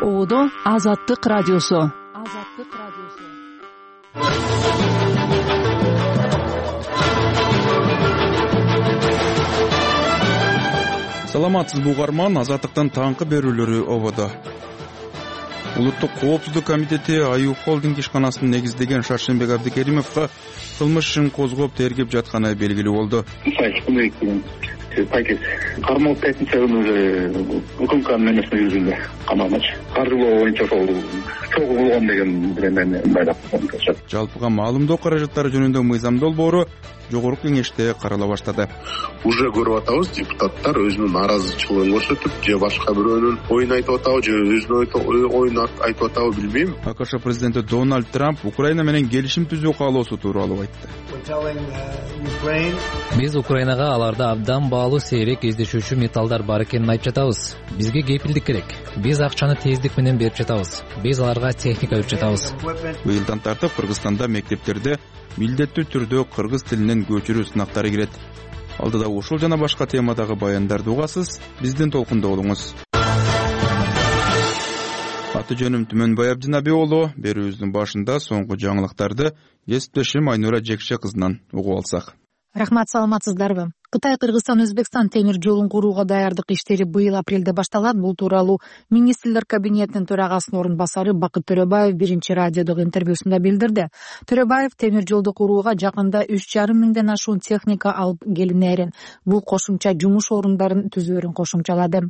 Оодо Азаттык радиосу. Саламатсызбы угарман, Азаттыктын таңкы берүүлөрү ободо. Улуттук коопсуздук комитети Аюп холдинг ишканасын негиздеген Шаршембек Абдикеримовго кылмыш ишин козгоп тергеп жатканы белгилүү болду. Пакет кармалып пятница күнү укмкнын эмесине жүзүндө камалмачы. Каржылоо боюнча ошол чогуу болгон деген мени байлап коюшат. Жалпыга маалымдоо каражаттары жөнүндө мыйзам долбоору жогорку кеңеште карала баштады. Уже көрүп атабыз, депутаттар өзүнүн нааразычылыгын көрсөтүп, же башка бирөөнүн оюн айтып атабы, же өзүнүн оюн айтып атабы билбейм. АКШ президенти Дональд Трамп Украина менен келишим түзүү каалоосу тууралуу айтты. Биз Украинага аларда абдан баалуу сейрек издешүүчү металлдар бар экенин айтып жатабыз. Бизге кепилдик керек. Биз акчаны тездик менен берип жатабыз. Биз аларга техника берип жатабыз. Быйылдан тартып Кыргызстанда мектептерде милдеттүү түрдө кыргыз тилинен көчүрүү сынактары кирет. Алдыда ушул жана башка темадагы баяндарды угасыз, биздин толкунда болуңуз. Аты жөнүм Түмөнбай Абдинаби уулу. Берүүбүздүн башында соңку жаңылыктарды кесиптешим Айнура Жекше кызынан угуп алсак. Рахмат, саламатсыздарбы? Кытай Кыргызстан Өзбекстан темир жолун курууга даярдык иштери быйыл апрелде башталат. Бул тууралуу министрлер кабинетинин төрагасынын орун басары Бакыт Төрөбаев биринчи радиодогу интервьюсунда билдирди. Төрөбаев темир жолду курууга жакында 3,5 миңден ашуун техника алып келинерин, бул кошумча жумуш орундарын түзүүрүн кошумчалады.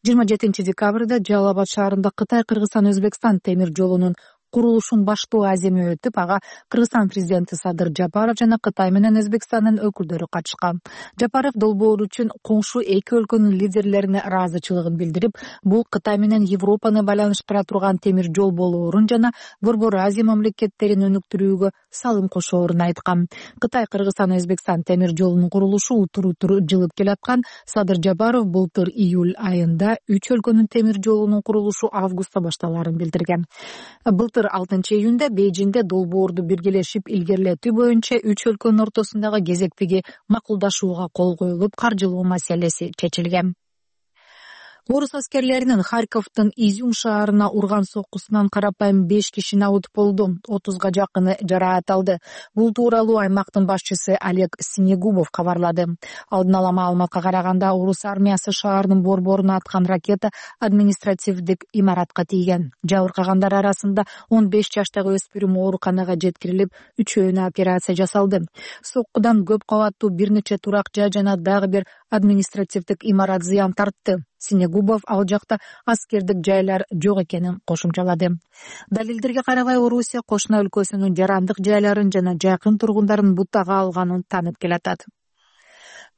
27 декабрда Жалал Абад шаарында Кытай Кыргызстан Өзбекстан темир жолунун курулушун баштоо аземи өтүп, ага Кыргызстан президенти Садыр Жапаров жана Кытай менен Өзбекстандын өкүлдөрү катышкан. Жапаров долбоор үчүн коңшу эки өлкөнүн лидерлерине ыраазычылыгын билдирип, бул Кытай менен Европаны байланыштыра турган темир жол болоорун жана Борбор Азия мамлекеттерин өнүктүрүүгө салым кошоорун айткан. Кытай Кыргызстан Өзбекстан темир жолунун курулушу утур-утур жылып келаткан. Садыр Жапаров былтыр июль айында 3 өлкөнүн темир жолунун курулушу августта башталарын билдирген. 6 июнда Бейжиңде долбоорду биргелешип илгерилетүү боюнча 3 өлкөнүн ортосундагы кезектеги макулдашууга кол коюлуп, каржылоо маселеси чечилген. Орус аскерлеринин Харьковдун Изюм шаарына урган соккусунан карапайым 5 киши набыт болду, 30га жакыны жараат алды. Бул тууралуу аймактын башчысы Олег Снегубов кабарлады. Алдын ала маалыматка караганда, орус армиясы шаардын борборуна аткан ракета административдик имаратка тийген. Жабыркагандар арасында 15 жаштагы өспүрүм ооруканага жеткирилип, үчөөүнө операция жасалды. Соккудан көп кабаттуу бир нече турак жай жана дагы бир административдик имарат зыян тартты. Снегубов ал жакта аскердик жайлар жок экенин кошумчалады. Далилдерге карабай, Орусия кошуна өлкөсүнүн жарандык жайларын жана жакын тургундарын бутага алганын таанып келатат.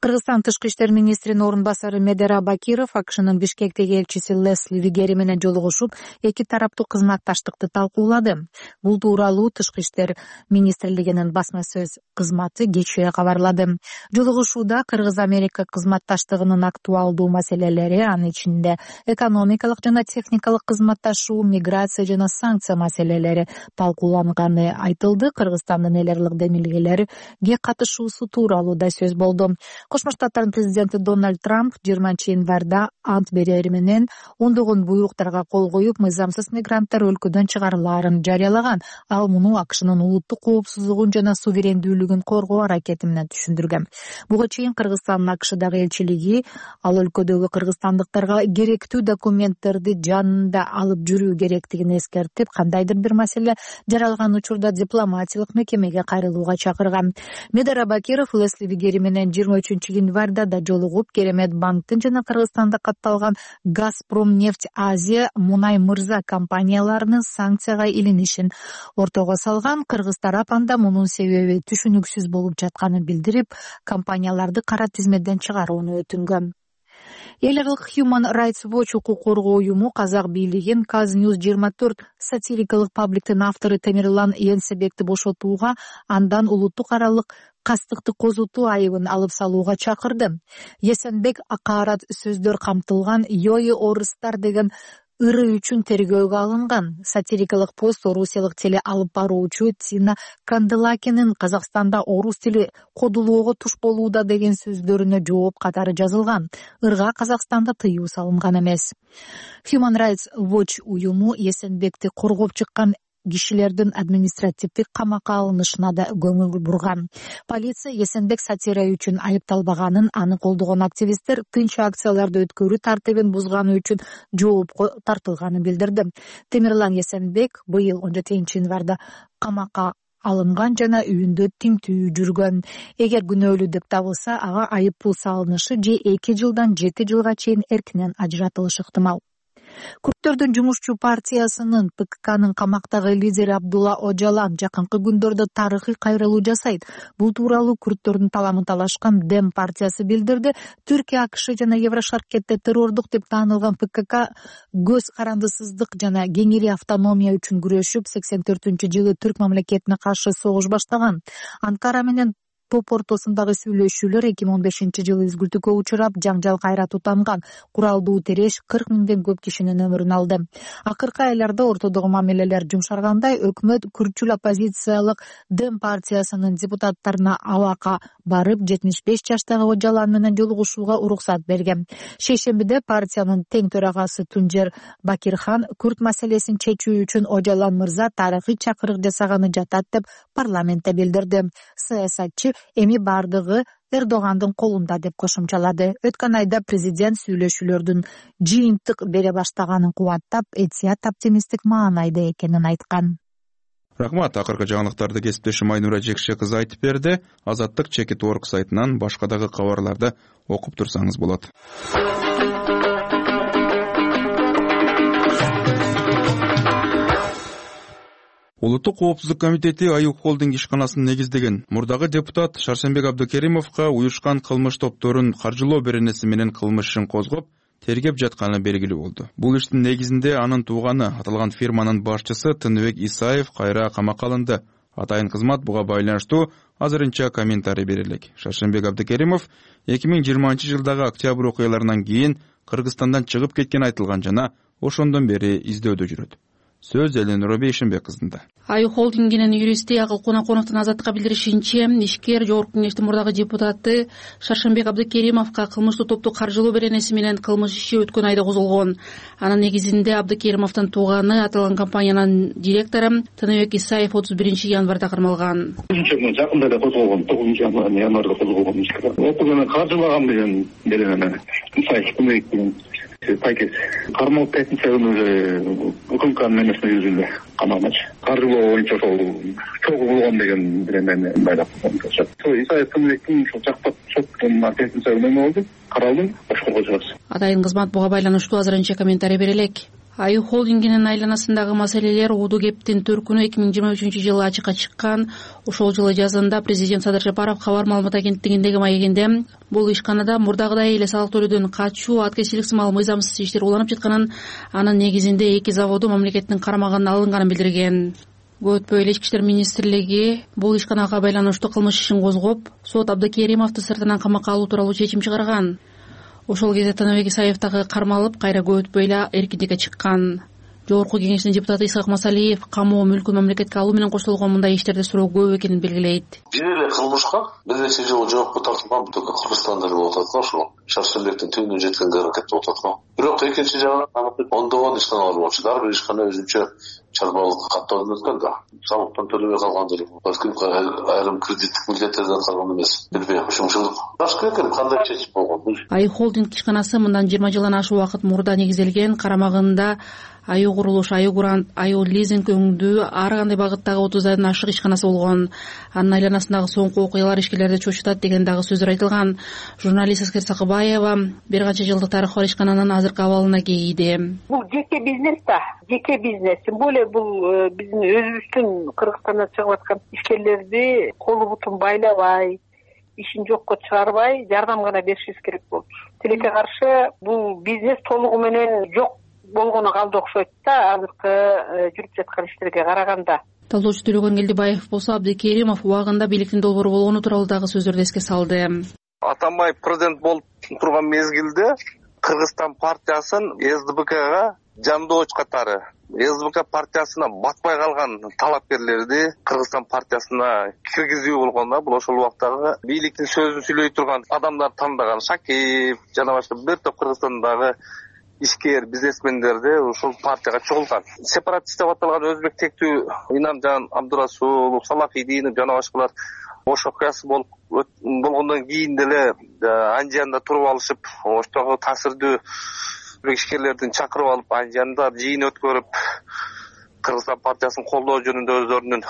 Кыргызстан тышкы иштер министринин орун басары Медера Бакиров АКШнын Бишкектеги элчиси Лесли Вигери менен жолугушуп, эки тараптуу кызматташтыкты талкуулады. Бул тууралуу тышкы иштер министрлигинин басма сөз кызматы кечээ кабарлады. Жолугушууда Кыргыз-Америка кызматташтыгынын актуалдуу маселелери, анын ичинде экономикалык жана техникалык кызматташуу, миграция жана санкция маселелери талкууланганы айтылды. Кыргызстандын эл ырлык демилгелерге катышуусу тууралуу да сөз болду. Кошмо Штаттардын президенти Дональд Трамп 20 январда ант берери менен ондогон буйруктарга кол коюп, мыйзамсыз мигранттар өлкөдөн чыгарылаарын жарыялаган. Ал муну АКШнын улуттук коопсуздугун жана суверендүүлүгүн коргоо аракети менен түшүндүргөн. Буга чейин Кыргызстандын АКШдагы элчилиги ал өлкөдөгү кыргызстандыктарга керектүү документтерди жанында алып жүрүү керектигин эскертип, кандайдыр бир маселе жаралган учурда дипломатиялык мекемеге кайрылууга чакырган. Медера Бакиров Лесли Вигери менен 23 январда да жолугуп, Керемет банктын жана Кыргызстанда катталган Газпромнефть Азия Мунай Мырза компанияларынын санкцияга илинишин ортого салган. Кыргыз тарап анда мунун себеби түшүнүксүз болуп жатканын билдирип, компанияларды кара тизмеден чыгарууну өтүнгөн. Эл ырлык Human Rights Watch укук коргоо уюму казак бийлигин Казnews24 сатирикалык пабликтин автору Темирлан Енсебекти бошотууга, андан улуттук аралык кастыкты козутуу айыбын алып салууга чакырды. Есенбек акаарат сөздөр камтылган Йои Орыстар деген ыры үчүн тергөөгө алынган. Сатирикалык пост орусиялык теле алып баруучу Тина Канделакинин Казакстанда орус тили кодулоого туш болууда деген сөздөрүнө жооп катары жазылган. Ырга Казакстанда тыюу салынган эмес. Human Rights Watch уюму Эсенбекти коргоп чыккан кишилердин административдик камакка алынышына да көңүл бурган. Полиция Эсенбек сатира үчүн айыпталбаганын, аны колдогон активисттер тынч акцияларды өткөрүү тартибин бузганы үчүн жоопко тартылганын билдирди. Темирлан Эсенбек быйыл 17-январда камакка алынган жана үйүндө тинтүү жүргөн. Эгер күнөөлүү деп табылса, ага айып пул салынышы же 2 жылдан 7 жылга чейин эркинен ажыратылышы ыктымал. Күрттөрдүн жумушчу партиясынын ПККнын камактагы лидери Абдулла Ожалан жакынкы күндөрдө тарыхый кайрылуу жасайт. Бул тууралуу күрттөрдүн таламын талашкан Дем партиясы билдирди. Түркия, АКШ жана Еврошаркетте террордук деп таанылган ПКК көз карандысыздык жана кеңири автономия үчүн күрөшүп 84-жылы түрк мамлекетине каршы согуш баштаган. Анкара менен топ ортосундагы сүйлөшүүлөр 2015-жылы үзгүлтүккө учурап, жаңжал кайра тутанган. Куралдуу тереш 40 миңден көп кишинин өмүрүн алды. Акыркы айларда ортодогу мамилелер жумшаргандай, өкмөт күрчүл оппозициялык Дем партиясынын депутаттарына Алака барып, 75 жаштагы Ожалан менен жолугушууга уруксат берген. Шейшембиде партиянын тең төрагасы Тунжер Бакирхан күрт маселесин чечүү үчүн Ожалан мырза тарыхый чакырык жасаганы жатат деп парламентте билдирди. Саясатчы эми бардыгы Эрдогандын колунда деп кошумчалады. Өткөн айда президент сүйлөшүүлөрдүн жыйынтык бере баштаганын кубаттап, этият оптимисттик маанайда экенин айткан. Рахмат. Акыркы жаңылыктарды кесиптешим Айнура Жекше кызы айтып берди. Азаттык Чекит.org сайтынан башка дагы кабарларды окуп турсаңыз болот. Улуттук коопсуздук комитети Аюк холдинг ишканасын негиздеген. Мурдагы депутат Шаршенбек Абдыкеримовго уюшкан кылмыш топторун каржылоо беренеси менен кылмыш ишин козгоп, тергеп жатканы белгилүү болду. Бул иштин негизинде анын тууганы, аталган фирманын башчысы Тыныбек Исаев кайра камакка алынды. Атайын кызмат буга байланыштуу азырынча комментарий берелек. Шаршенбек Абдыкеримов 2020-жылдагы октябрь окуяларынан кийин Кыргызстандан чыгып кеткен айтылган жана ошондон бери издөөдө жүрөт. Сөз Эленора Бейшенбек кызында. Аюк холдингинин юристи Акыл Конаконовдун Азаттыкка билдиришинче, ишкер жогорку кеңештин мурдагы депутаты Шаршенбек Абдыкеримовго кылмыштуу топту каржылоо беренеси менен кылмыш иши өткөн айда козголгон. Анын негизинде Абдыкеримовдун тууганы, аталган компаниянын директору Тыныбек Исаев 31-январда кармалган. Жакында да козголгон, 9-январда козголгон ишке. Окуяны каржылаган деген Исаев Тыныбек деген Пайкес. Кармалып 5-нче укмкнын эмесине жүзүндө камалмачы. Каржылоо боюнча ошол чогуу болгон деген мени байлап коюшат. Исаев Тыныбектин ошол жактап соттун 5-нче болду. Каралды, башкаруу чыгасы. Атайын кызмат буга байланыштуу азырынча комментарий берелек. Аюк холдингинин айланасындагы маселелер Уду кептин төркүнү 2023-жылы ачыкка чыккан. Ошол жылы жазында президент Садыр Жапаров кабар маалымат агенттигиндеги маегинде бул ишканада мурдагыдай эле салык төлөөдөн качуу, аткезчилик сымал мыйзамсыз иштер уланып жатканын, анын негизинде 2 заводу мамлекеттин карамагына алынганын билдирген. Көтпөй эле Ички иштер министрлиги бул ишканага байланыштуу кылмыш ишин козгоп, сот Абдыкеримовду сыртынан камакка алуу тууралуу чечим чыгарган. Ошол кезде Тыныбек Исаев дагы кармалып, кайра көтпөй эле эркиндикке чыккан. Жогорку кеңештин депутаты Исхак Масалиев камоо мүлкүн мамлекетке алуу менен коштолгон мындай иштерде суроо көп экенин белгилейт. Бир эле кылмышка бир нече жыл жоопко тартылган бүткө Кыргызстанда болуп атат го, ошол Шаршенбектин түбүнө жеткенге аракет болуп атат го. Бирок экинчи жагынан ондогон ишканалар болчу. Ар бир ишкана өзүнчө чарбалык каттоодон өткөн да. Салыктан төлөбөй калгандыр. Балким айрым кредиттик милдеттерден калган эмес. Билбейм, ушунчалык. Башка экен кандай чечим болгон. Аюк холдинг ишканасы мындан 20 жылдан ашык убакыт мурда негизделген. Карамагында Аю курулуш, Аю грант, Аю лизинг өңдүү ар кандай багыттагы 30дан ашык ишканасы болгон. Анын айланасындагы соңку окуялар ишкерлерди чочутат деген дагы сөздөр айтылган. Журналист Аскер Сакыбаева бир канча жылдык тарыхы бар ишкананын азыркы абалына кейиди. Бул жеке бизнес да, жеке бизнес. Тем более бул биздин өзүбүздүн Кыргызстандан чыгып аткан ишкерлерди колу бутун байлабай, ишин жокко чыгарбай, жардам гана беришибиз керек болчу. Тилекке каршы бул бизнес толугу менен жок болгону калды окшойт да, азыркы жүрүп жаткан иштерге караганда. Талоочу Төлөгөн Келдибаев болсо Абдыкеримов убагында бийликтин долбоору болгону тууралуу дагы сөздөрдү эске салды. Атамбаев президент болуп турган мезгилде Кыргызстан партиясын СДБКга жандооч катары СБК партиясына батпай калган талапкерлерди Кыргызстан партиясына киргизүү болгон да. Бул ошол убактагы бийликтин сөзүн сүйлөй турган адамдар тандаган Шакиев жана башка бир топ Кыргызстандагы ишкер бизнесмендерди ушул партияга чогулткан. Сепаратист деп аталган өзбек тектүү Инамжан Абдурасулов, Салахидинов жана башкалар ош окуясы болгондон кийин деле Анжиянда туруп алышып, оштогу таасирдүү ишкерлердин чакырып алып, Анжиянда жыйын өткөрүп, Кыргызстан партиясын колдоо жөнүндө өздөрүнүн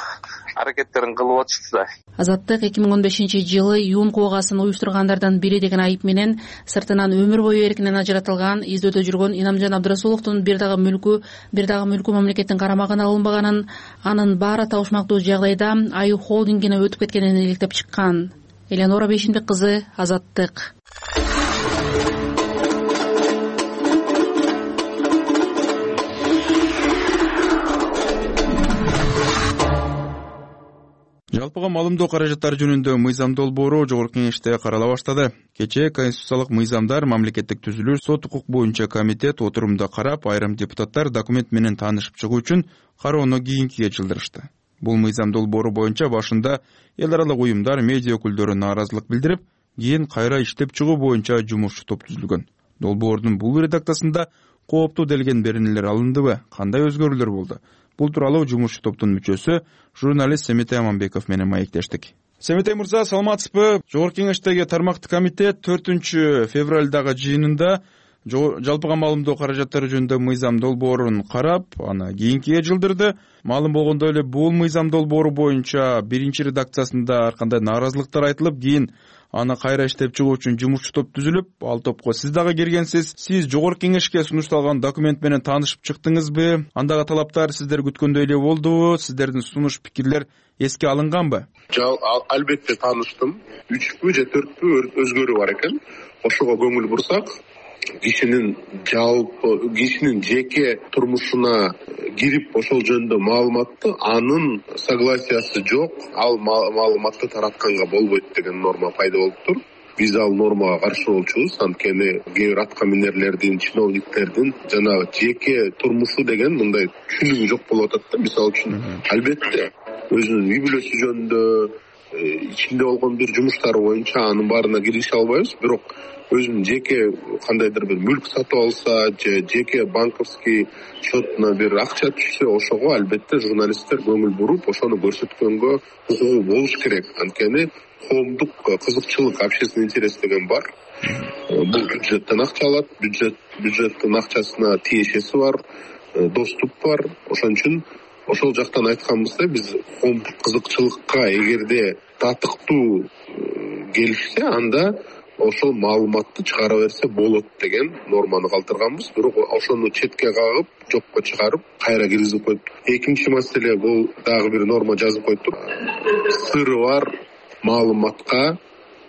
аракеттерин кылып атышты да. Азаттык 2015-жылы юун куугасын уюштургандардан бири деген айып менен сыртынан өмүр бою эркинен ажыратылган, издөөдө жүргөн Инамжан Абдурасуловдун бир дагы мүлкү мамлекеттин карамагына алынбаганын, анын баары табышмактуу жагдайда Аю холдингине өтүп кеткенин иликтеп чыккан. Элеонора Бейшимбек кызы, Азаттык. Жалпыга маалымдоо каражаттары жөнүндө мыйзам долбоору Жогорку Кеңеште карала баштады. Кечээ конституциялык мыйзамдар, мамлекеттик түзүлүш, сот укук боюнча комитет отурумда карап, айрым депутаттар документ менен таанышып чыгуу үчүн кароону кийинкиге жылдырышты. Бул мыйзам долбоору боюнча башында эл аралык уюмдар, медиа өкүлдөрү нааразылык билдирип, кийин кайра иштеп чыгуу боюнча жумушчу топ түзүлгөн. Долбоордун бул редакциясында кооптуу делген беренелер алындыбы, кандай өзгөрүүлөр болду? Бул тууралуу жумушчу топтун мүчөсү журналист Семетей Аманбеков менен маектештик. Семетей мырза, саламатсызбы? Жогорку Кеңештеги тармактык комитет 4 февралдагы жыйынында жалпыга маалымдоо каражаттары жөнүндө мыйзам долбоорун карап, аны кийинкиге жылдырды. Маалым болгондой эле бул мыйзам долбоору боюнча биринчи редакциясында ар кандай нааразылыктар айтылып, кийин аны кайра иштеп чыгуу үчүн жумушчу топ түзүлүп, ал топко сиз дагы киргенсиз. Сиз Жогорку Кеңешке сунушталган документ менен таанышып чыктыңызбы? Андагы талаптар сиздер күткөндөй эле болдубу? Сиздердин сунуш пикирлер эске алынганбы? Албетте тааныштым. 3 же 4 өзгөрүү бар экен. Ошого көңүл бурсак, кишинин жеке турмушуна кирип ошол жөнүндө маалыматты анын согласиясы жок, ал маалыматты таратканга болбойт деген норма пайда болуптур. Биз ал нормага каршы болчубуз, анткени кээ бир аткаминерлердин, чиновниктердин жанагы жеке турмушу деген мындай түшүнүгү жок болуп атат да. Мисалы үчүн, албетте өзүнүн үй бүлөсү жөнүндө, ичинде болгон бир жумуштары боюнча анын баарына кирише албайбыз, бирок өзүнүн жеке кандайдыр бир мүлк сатып алса же жеке банковский счетуна бир акча түшсө, ошого албетте журналисттер көңүл буруп, ошону көрсөткөнгө укугу болуш керек. Анткени коомдук кызыкчылык, общественный интерес деген бар. Бул бюджеттен акча алат, бюджеттин акчасына тиешеси бар, доступ бар. Ошон үчүн ошол жактан айтканыбызда биз коомдук кызыкчылыкка эгерде татыктуу келишсе, анда ошол маалыматты чыгара берсе болот деген норманы калтырганбыз. Бирок ошону четке кагып, жокко чыгарып, кайра киргизип койдук. Экинчи маселе, бул дагы бир норма жазып койдук. Сыры бар маалыматка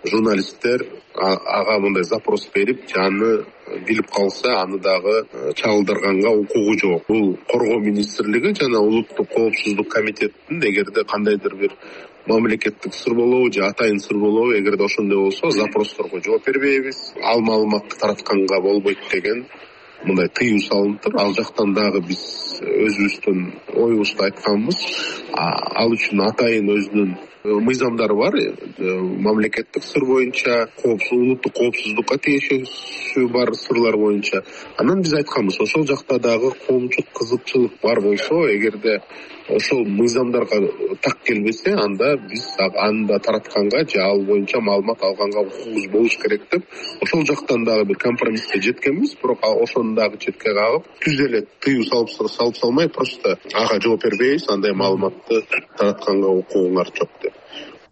журналисттер ага мындай запрос берип, аны билип калса, аны дагы чагылдырганга укугу жок. Бул Коргоо министрлиги жана улуттук коопсуздук комитеттин эгерде кандайдыр бир мамлекеттик сыр болобу же атайын сыр болобу, эгерде ошондой болсо, запросторго жооп бербейбиз, ал маалыматты таратканга болбойт деген мындай тыюу салыныптыр. Ал жактан дагы биз өзүбүздүн оюбузду айтканбыз. Ал үчүн атайын өзүнүн мыйзамдары бар. Мамлекеттик сыр боюнча, улуттук коопсуздукка тиешеси бар сырлар боюнча. Анан биз айтканбыз, ошол жакта дагы коомчулук кызыкчылык бар болсо, эгерде ошол мыйзамдарга так келбесе, анда биз аны таратканга же ал боюнча маалымат алганга укугубуз болуш керек деп, ошол жактан дагы бир компромисске жеткенбиз. Бирок ошону дагы четке кагып, түз эле тыюу салып салмай, просто ага жооп бербейбиз, андай маалыматты таратканга укугуңар жок деп.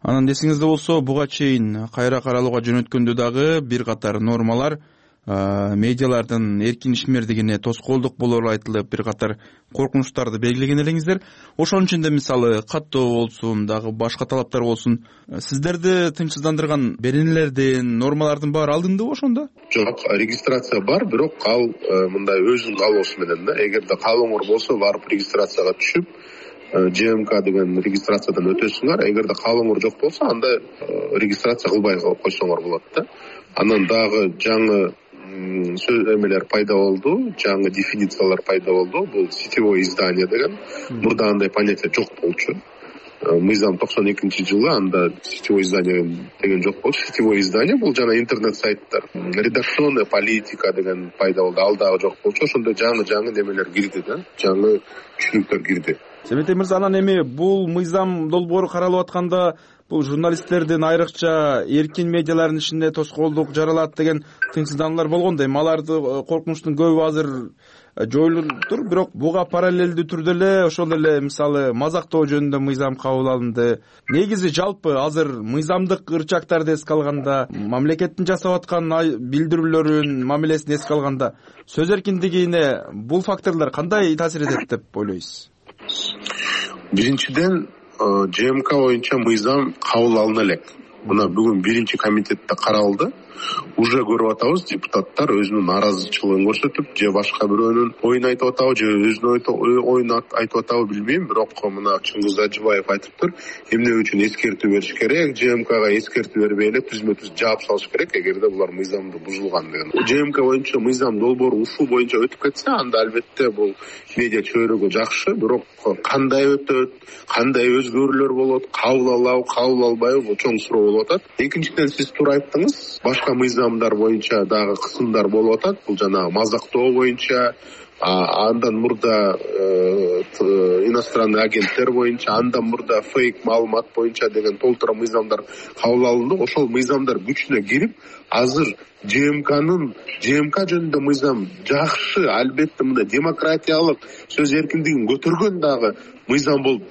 Анан эсиңизде болсо, буга чейин кайра каралууга жөнөткөндө дагы бир катар нормалар медиалардын эркин ишмердигине тоскоолдук болору айтылып, бир катар коркунучтарды белгилеген элеңиздер. Ошонун ичинде мисалы каттоо болсун, дагы башка талаптар болсун, сиздерди тынчсыздандырган беренелердин, нормалардын баары алындыбы ошондо? Жок, регистрация бар, бирок ал мындай өзүнүн каалоосу менен да. Эгерде каалооңор болсо, барып регистрацияга түшүп, ЖМК деген регистрациядан өтөсүңөр. Эгерде каалооңор жок болсо, анда регистрация кылбай койсоңор болот да. Анан дагы жаңы эмелер пайда болду, жаңы дефинициялар пайда болду. Бул сетевое издание деген. Мурда андай понятие жок болчу. Мыйзам 92-жылы анда сетевое издание деген жок болчу. Сетевое издание бул жана интернет сайттар. Редакционная политика деген пайда болду. Ал дагы жок болчу. Ошондо жаңы немелер кирди да. Жаңы түшүнүктөр кирди. Семетей мырза, анан эми бул мыйзам долбоору каралып атканда бул журналисттердин айрыкча эркин медиалардын ишине тоскоолдук жаралат деген тынчсыздануулар болгондой. Эми аларды коркунучтун көбү азыр жоюлуптур, бирок буга параллелдүү түрдө эле ошол эле мисалы мазактоо жөнүндө мыйзам кабыл алынды. Негизи жалпы азыр мыйзамдык ырчактарды эске алганда, мамлекеттин жасап аткан билдирүүлөрүн, мамилесин эске алганда сөз эркиндигине бул факторлор кандай таасир этет деп ойлойсуз? Биринчиден, ЖМК боюнча мыйзам кабыл алына элек. Мына бүгүн биринчи комитетте каралды. Уже көрүп атабыз, депутаттар өзүнүн нааразычылыгын көрсөтүп, же башка бирөөнүн оюн айтып атабы, же өзүнүн оюн айтып атабы билбейм, бирок мына Чыңгыз Ажыбаев айтыптыр, эмне үчүн эскертүү бериш керек, ЖМКга эскертүү бербей эле түзмө-түз жаап салыш керек, эгерде булар мыйзамды бузулган деген. ЖМК боюнча мыйзам долбоору ушул боюнча өтүп кетсе, анда албетте бул медиа чөйрөгө жакшы, бирок кандай өтөт, кандай өзгөрүүлөр болот, кабыл алабы, кабыл албайбы, бул чоң суроо болуп атат. Экинчиден, сиз туура айттыңыз, башка мыйзамдар боюнча дагы кысымдар болуп атат. Бул жанагы мазактоо боюнча, андан мурда иностранный агенттер боюнча, андан мурда фейк маалымат боюнча деген толтура мыйзамдар кабыл алынды. Ошол мыйзамдар күчүнө кирип, азыр ЖМК жөнүндө мыйзам жакшы, албетте мындай демократиялык сөз эркиндигин көтөргөн дагы мыйзам болуп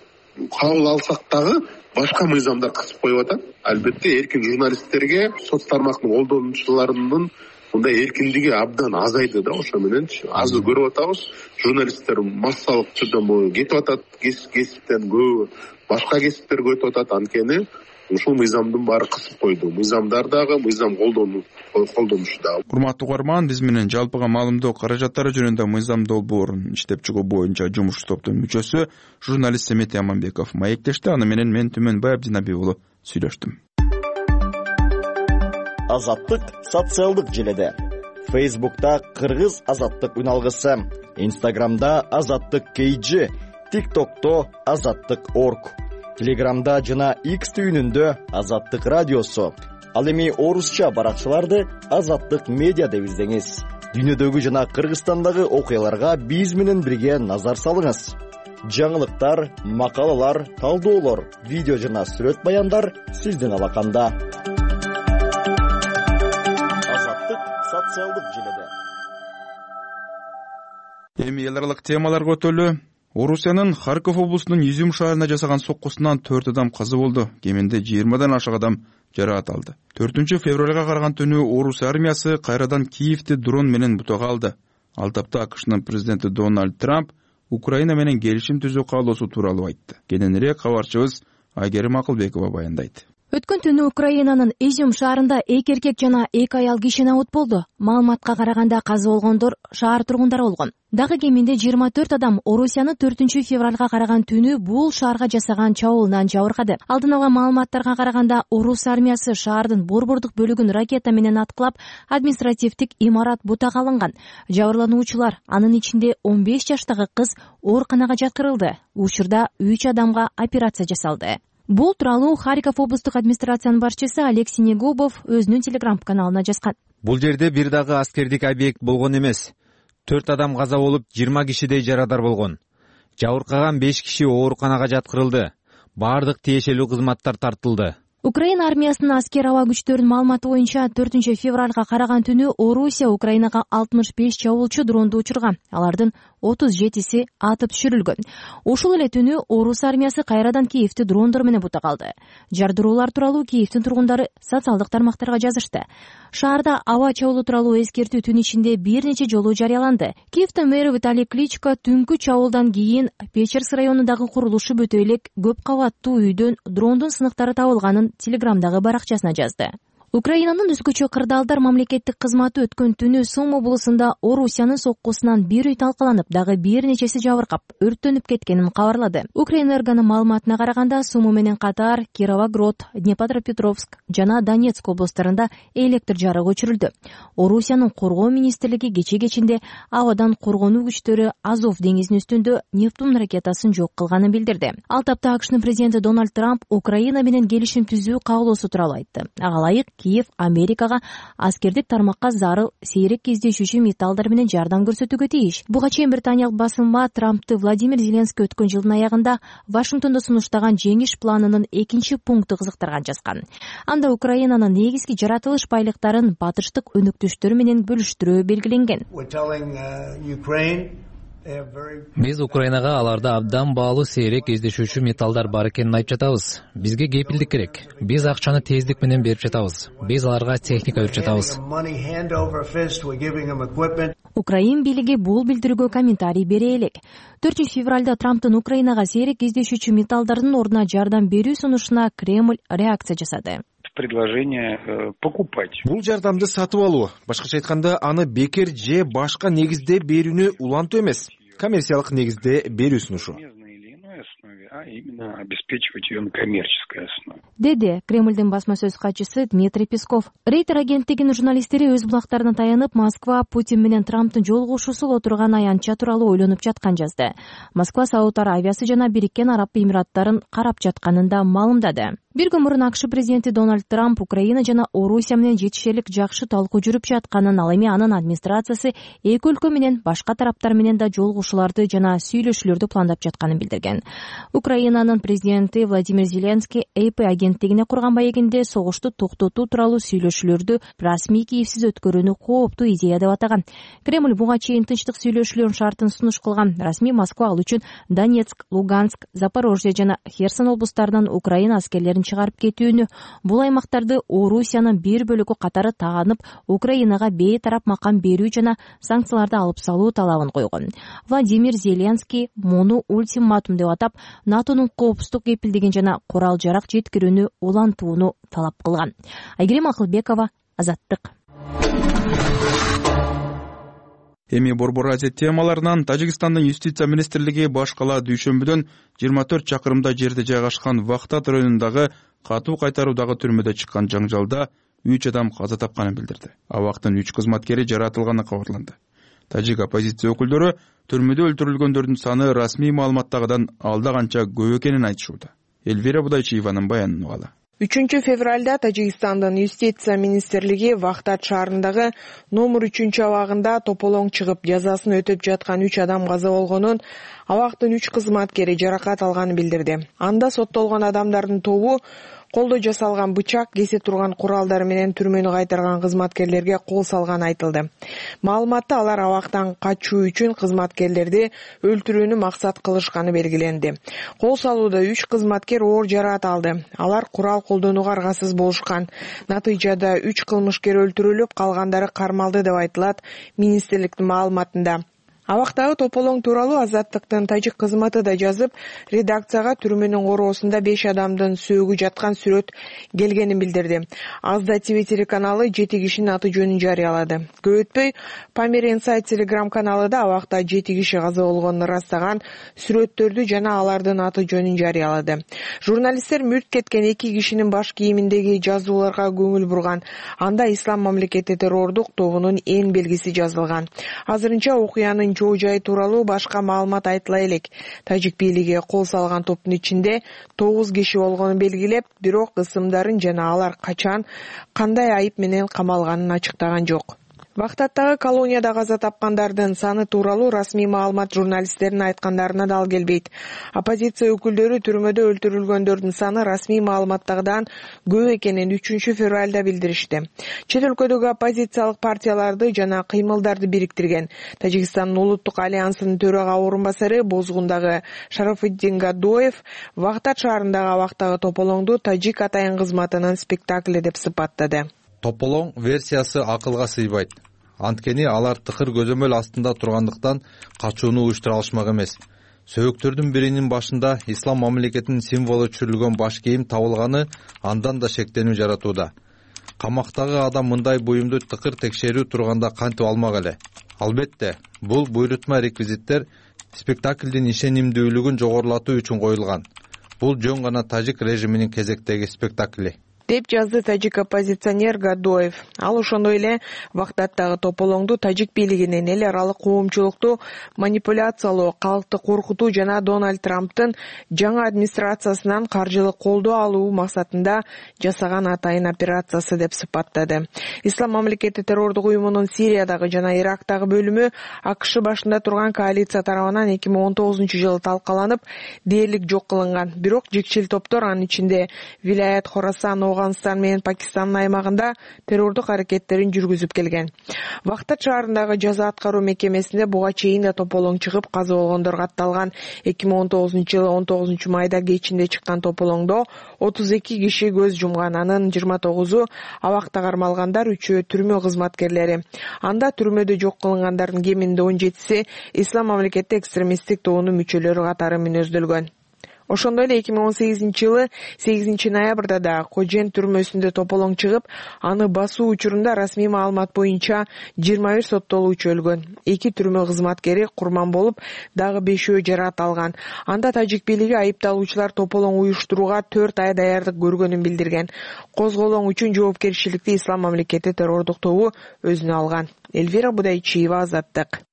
кабыл алсак дагы башка мыйзамдар кысып коюп атат. Албетте эркин журналисттерге, соц тармактын колдонуучуларынын мындай эркиндиги абдан азайды да. Ошо менен азыр көрүп атабыз, журналисттер массалык түрдө кетип атат, кесиптен көбү башка кесиптерге өтүп атат. Анткени ушул мыйзамдын баары кысып койду. Мыйзамдар дагы, мыйзам колдонушу дагы. Урматтуу угарман, биз менен жалпыга маалымдоо каражаттары жөнүндө мыйзам долбоорун иштеп чыгуу боюнча жумуш топтун мүчөсү журналист Семетей Аманбеков маектешти. Аны менен мен Түмөнбай Абдинабиев уулу сүйлөштүм. Азаттык социалдык желеде. Facebook'ta Кыргыз азаттык үналгысы, Instagram'da азаттык KG, TikTok'to азаттык.org, Telegram'da жана X түйүнүндө азаттык радиосу. Ал эми орусча баракчаларды азаттык медиа деп издеңиз. Дүйнөдөгү жана Кыргызстандагы окуяларга биз менен бирге назар салыңыз. Жаңылыктар, макалалар, талдоолор, видео жана сүрөт баяндар сиздин алаканда. Азаттык социалдык желеде. Эми эл аралык темаларга өтөлү. Орусиянын Харьков облусунун Изюм шаарына жасаган соккусунан 4 адам каза болду. Кеминде 20дан ашык адам жараат алды. 4-февралга караган түнү Орус армиясы кайрадан Киевти дрон менен бутага алды. Ал тапта АКШнын президенти Дональд Трамп Украина менен келишим түзүү каалоосу тууралуу айтты. Кененирээк кабарчыбыз Айгерим Акылбекова баяндайт. Өткөн түнү Украинанын Изюм шаарында 2 эркек жана 2 аял кишинабут болду. Маалыматка караганда каза болгондор шаар тургундары болгон. Дагы кеминде 24 адам Орусияны 4-февралга караган түнү бул шаарга жасаган чабуулунан жабыркады. Алдын ала маалыматтарга караганда Орус армиясы шаардын борбордук бөлүгүн ракета менен аткылап, административдик имарат бутага алынган. Жабырлануучулар, анын ичинде 15 жаштагы кыз ооруканага жаткырылды. Учурда 3 адамга операция жасалды. Бул тууралуу Харьков облустук администрациянын башчысы Алексей Негубов өзүнүн телеграм-каналына жазган. Бул жерде бир дагы аскердик объект болгон эмес. 4 адам каза болуп, 20 кишидей жарадар болгон. Жабыркаган 5 киши ооруканага жаткырылды. Бардык тиешелүү кызматтар тартылды. Украина армиясынын аскер аба күчтөрүнүн маалыматы боюнча 4-февралга караган түнү Орусия Украинага 65 чабуулчу дронду учурган. Алардын 37си атып түшүрүлгөн. Ошол эле түнү Орус армиясы кайрадан Киевти дрондор менен бутага алды. Жардыроолор тууралуу Киевтин тургундары социалдык тармактарга жазышты. Шаарда аба чабуулу тууралуу эскертүү түн ичинде бир нече жолу жарыяланды. Киевтин мэри Виталий Кличко түнкү чабуулдан кийин Печерск районундагы курулушу бүтө элек көп кабаттуу үйдөн дрондун сыныктары табылганын телеграмдагы баракчасына жазды. Украинанын өзгөчө кырдаалдар мамлекеттик кызматы өткөн түнү Сум облусунда Орусиянын соккусунан бир үй талкаланып, дагы бир нечеси жабыркап, өрттөнүп кеткенин кабарлады. Укрэнергонун маалыматына караганда, Суму менен катар Кировоград, Днепропетровск жана Донецк облустарында электр жарыгы өчүрүлдү. Орусиянын коргоо министрлиги кече-кечинде абадан коргонуу күчтөрү Азов деңизинин үстүндө Нептун ракетасын жок кылганын билдирди. Ал тапта АКШнын президенти Дональд Трамп Украина менен келишим түзүү каалоосу тууралуу айтты. Ага ылайык Киев Америкага аскердик тармакка зарыл сейрек кездешүүчү металлдар менен жардам көрсөтүүгө тийиш. Буга чейин британиялык басылма Трампты Владимир Зеленский өткөн жылдын аягында Вашингтондо сунуштаган жеңиш планынын 2 пункту кызыктырган жазган. Анда Украинанын негизги жаратылыш байлыктарын батыштык өнөктөштөр менен бөлүштүрүү белгиленген. Биз Украинага аларда абдан баалуу сейрек кездешүүчү металлдар бар экенин айтып жатабыз. Бизге кепилдик керек. Биз акчаны тездик менен берип жатабыз. Биз аларга техника берип жатабыз. Украин бийлиги бул билдирүүгө комментарий бере элек. 4-февралда Трамптын Украинага сейрек кездешүүчү металлдардын ордуна жардам берүү сунушуна Кремль реакция жасады. Предложение покупать. Бул жардамды сатып алуу, башкача айтканда, аны бекер же башка негизде берүүнү улантуу эмес, коммерциялык негизде берүү сунушу. А именно обеспечивать ее на коммерческой основе. Деди Кремльдин басма сөз катчысы Дмитрий Песков. Рейтер агенттигинин журналисттери өз булактарына таянып, Москва Путин менен Трамптын жолугушуусу отурган аянтча тууралуу ойлонуп жаткан жазды. Москва Сауд Аравиясы жана Бириккен Араб Эмираттарын карап жатканын да маалымдады. Бир күн мурун АКШ президенти Дональд Трамп Украина жана Орусия менен жетишерлик жакшы талкуу жүрүп жатканын, ал эми анын администрациясы эки өлкө менен башка тараптар менен да жолугушууларды жана сүйлөшүүлөрдү пландап жатканын билдирген. Украинанын президенти Владимир Зеленский AP агенттигине курган маегинде согушту токтотуу тууралуу сүйлөшүүлөрдү расмий Киевсиз өткөрүүнү кооптуу идея деп атаган. Кремль буга чейин тынчтык сүйлөшүүлөрүнүн шартын сунуш кылган. Расмий Москва ал үчүн Донецк, Луганск, Запорожье жана Херсон облустарынан Украина аскерлерин чыгарып кетүүнү, бул аймактарды Орусиянын бир бөлүгү катары таанып, Украинага бейтарап макам берүү жана санкцияларды алып салуу талабын койгон. Владимир Зеленский муну ультиматум деп атап, НАТОнун коопсуздук кепилдигин жана курал-жарак жеткирүүнү улантууну талап кылган. Айгерим Акылбекова, Азаттык. Эми Борбор Азия темаларынан Тажикстандын юстиция министрлиги баш кала дүйшөмбүдөн 24 чакырымда жерде жайгашкан Вахтат районундагы катуу кайтаруудагы түрмөдө чыккан жаңжалда 3 адам каза тапканын билдирди. Абактын 3 кызматкери жаратылганы кабарланды. Тажик оппозиция өкүлдөрү түрмөдө өлтүрүлгөндөрдүн саны расмий маалыматтагыдан алда канча көп экенин айтышууда. Элвира Будайчиеванын баянын угалы. 3 февралда Тажикстандын юстиция министрлиги Вахтат шаарындагы номер 3 абагында тополоң чыгып жазасын өтөп жаткан 3 адам каза болгонун, абактын 3 кызматкери жаракат алганын билдирди. Анда соттолгон адамдардын тобу колдо жасалган бычак, кесе турган куралдар менен түрмөнү кайтарган кызматкерлерге кол салганы айтылды. Маалыматта алар абактан качуу үчүн кызматкерлерди өлтүрүүнү максат кылышканы белгиленди. Кол салууда 3 кызматкер оор жараат алды. Алар курал колдонууга аргасыз болушкан. Натыйжада 3 кылмышкер өлтүрүлүп, калгандары кармалды деп айтылат министрликтин маалыматында. Абактагы тополоң тууралуу Азаттыктын тажик кызматы да жазып, редакцияга түрмөнүн короосунда 5 адамдын сөөгү жаткан сүрөт келгенин билдирди. Азда ТВ телеканалы 7 кишинин аты жөнүн жарыялады. Көп өтпөй Памир Инсайт телеграм каналы да абакта 7 киши каза болгонун ырастаган сүрөттөрдү жана алардын аты жөнүн жарыялады. Журналисттер мүрт кеткен 2 кишинин баш кийиминдеги жазууларга көңүл бурган. Анда Ислам мамлекети террордук тобунун эң белгиси жазылган. Азырынча окуянын жоо жай тууралуу башка маалымат айтыла элек. Тажик бийлиги кол салган топтун ичинде 9 киши болгонун белгилеп, бирок ысымдарын жана алар качан, кандай айып менен камалганын ачыктаган жок. Вахтаттагы колонияда каза тапкандардын саны тууралуу расмий маалымат журналисттердин айткандарына дал келбейт. Оппозиция өкүлдөрү түрмөдө өлтүрүлгөндөрдүн саны расмий маалыматтагыдан көп экенин 3 февралда билдиришти. Чет өлкөдөгү оппозициялык партияларды жана кыймылдарды бириктирген Тажикстандын улуттук альянсынын төрага орун басары Бозгундагы Шарафуддин Гадоев Вахтат шаарындагы абактагы тополоңду тажик атайын кызматынын спектакли деп сыпаттады. Тополоң версиясы акылга сыйбайт. Анткени алар тыкыр көзөмөл астында тургандыктан качууну уюштура алышмак эмес. Сөөгүктөрдүн биринин башында ислам мамлекетинин символу түшүрүлгөн баш кийим табылганы андан да шектенүү жаратууда. камактагы адам мындай буюмду тыкыр текшерүү турганда кантип алмак эле? Албетте, бул буйрутма реквизиттер спектаклдин ишенимдүүлүгүн жогорулатуу үчүн коюлган. Бул жөн гана тажик режиминин кезектеги спектакли, деп жазды тажик оппозиционер Гадоев. Ал ошондой эле Вахтаттагы тополоңду тажик бийлигинин эл аралык коомчулукту манипуляциялоо, калкты коркутуу жана Дональд Трамптын жаңы администрациясынан каржылык колдоо алуу максатында жасаган атайын операциясы деп сыпаттады. Ислам мамлекети террордук уюмунун Сириядагы жана Ирактагы бөлүмү АКШ башында турган коалиция тарабынан 2019-жылы талкаланып, дээрлик жок кылынган. Бирок жекчил топтор, анын ичинде Вилаят Хорасан, Афганистан менен Пакистандын аймагында террордук аракеттерин жүргүзүп келген. Вахтат шаарындагы жаза аткаруу мекемесинде буга чейин да тополоң чыгып каза болгондор катталган. 2019-жылы 19 майда кечинде чыккан тополоңдо 32 киши көз жумган, анын 29-у абакта кармалгандар, 3-өө түрмө кызматкерлери. Анда түрмөдө жок кылынгандардын кеминде 17-си Ислам мамлекети экстремисттик тобунун мүчөлөрү катары мүнөздөлгөн. Ошондой эле 2018-жылы 8-ноябрда да Кожен түрмөсүндө тополоң чыгып, аны басуу учурунда расмий маалымат боюнча 21 соттолуучу өлгөн. 2 түрмө кызматкери курман болуп, дагы 5-өө жаракат алган. Анда тажик бийлиги айыпталуучулар тополоң уюштурууга 4 ай даярдык көргөнүн билдирген. Козголоң үчүн жоопкерчиликти Ислам мамлекети террордук тобу өзүнө алган. Эльвира Будайчиева, Азаттык.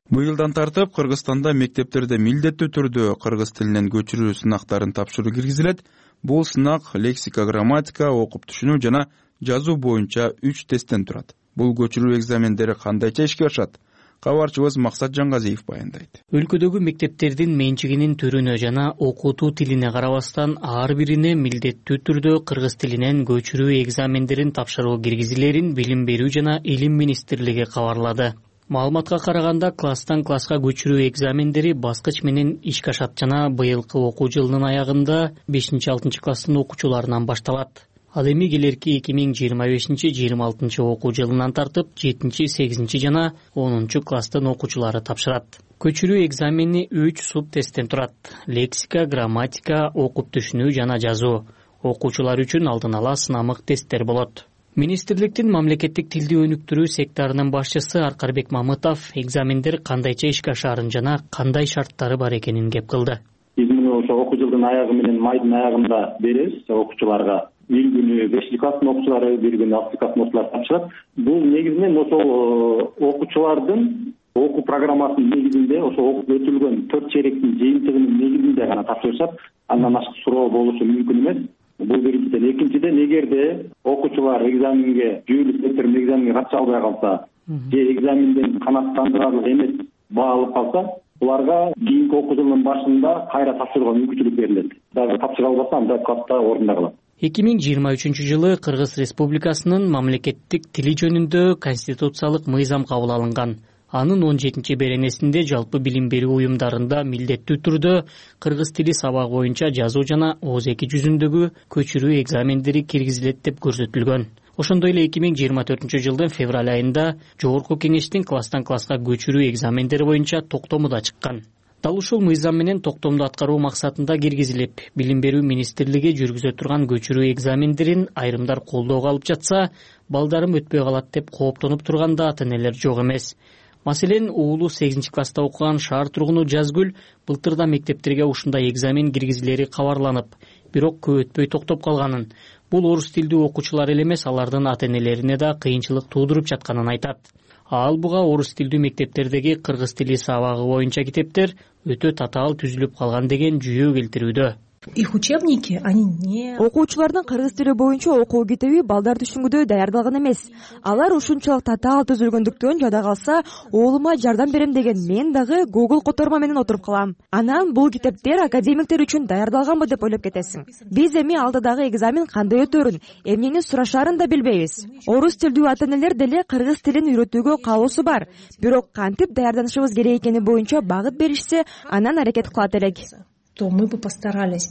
Быйылдан тартып Кыргызстанда мектептерде милдеттүү түрдө кыргыз тилинен көчүрүү сынактарын тапшыруу киргизилет. Бул сынак лексика, грамматика, окуп түшүнүү жана жазуу боюнча 3 тесттен турат. Бул көчүрүү экзамендери кандайча ишке ашат? Кабарчыбыз Максат Жаңгазиев баяндайт. Өлкөдөгү мектептердин менчигинин түрүнө жана окутуу тилине карабастан ар бирине милдеттүү түрдө кыргыз тилинен көчүрүү экзамендерин тапшыруу киргизилерин Билим берүү жана Илим министрлиги кабарлады. Маалыматка караганда, класстан класска көчүрүү экзамендери баскыч менен ишке ашат жана быйылкы окуу жылынын аягында 5-6 класстын окуучуларынан башталат. Ал эми келерки 2025-26 окуу жылынан тартып 7-8 жана 10 класстын окуучулары тапшырат. Көчүрүү экзамени 3 суб тесттен турат. Лексика, грамматика, окуп түшүнүү жана жазуу. Окуучулар үчүн алдын ала сынамык тесттер болот. Министрликтин мамлекеттик тилди өнүктүрүү секторунун башчысы Аркарбек Мамытов экзамендер кандайча ишке ашаарын жана кандай шарттары бар экенин кеп кылды. Биз муну ошо окуу жылдын аягы менен майдын аягында беребиз окуучуларга. Бир күнү 5-класстын окуучулары, бир күнү 6-класстын окуучулары тапшырат. Бул негизинен ошол окуучулардын окуу программасынын негизинде ошо окуп өтүлгөн 4 чейректин жыйынтыгынын негизинде гана тапшырышат. Андан ашык суроо болушу мүмкүн эмес. Бул биринчиден. Экинчиден, эгерде окуучулар экзаменге жүйөлүү сектордун экзаменге катыша албай калса, же экзаменден канааттандырарлык эмес баа алып калса, буларга кийинки окуу жылынын башында кайра тапшырууга мүмкүнчүлүк берилет. Дагы тапшыра албаса, андай катта орунда калат. 2023-жылы Кыргыз Республикасынын мамлекеттик тили жөнүндө конституциялык мыйзам кабыл алынган. Анын 17-беренесинде жалпы билим берүү уюмдарында милдеттүү түрдө кыргыз тили сабагы боюнча жазуу жана ооз эки жүзүндөгү көчүрүү экзамендери киргизилет деп көрсөтүлгөн. Ошондой эле 2024-жылдын февраль айында Жогорку кеңештин класстан класска көчүрүү экзамендери боюнча токтому да чыккан. Дал ушул мыйзам менен токтомду аткаруу максатында киргизилип, Билим берүү министрлиги жүргүзө турган көчүрүү экзамендерин айрымдар колдоого алып жатса, балдарым өтпөй калат деп кооптонуп турганда ата-энелер жок эмес. Маселен, уулу 8-класста окуган шаар тургуну Жазгүл былтырда мектептерге ушундай экзамен киргизилери кабарланып, бирок көп өтпөй токтоп калганын. Бул орус тилдүү окуучулар эле эмес, алардын ата-энелерине да кыйынчылык туудуруп жатканын айтат. Ал буга орус тилдүү мектептердеги кыргыз тили сабагы боюнча китептер өтө татаал түзүлүп калган деген жүйө келтирүүдө. Их учебники, они не... Окуучулардын кыргыз тили боюнча окуу китеби балдар түшүнгүдөй даярдалган эмес. Алар ушунчалык татаал түзүлгөндүктөн жада калса, уулума жардам берем деген мен дагы Google которма менен отуруп калам. Анан бул китептер академиктер үчүн даярдалганбы деп ойлоп кетесиң. Биз эми алдыдагы экзамен кандай өтөөрүн, эмнени сурашаарын да билбейбиз. Орус тилдүү ата-энелер деле кыргыз тилин үйрөтүүгө каалоосу бар. Бирок кантип даярданышыбыз керек экени боюнча багыт беришсе, анан аракет кылат элек. То мы бы постарались.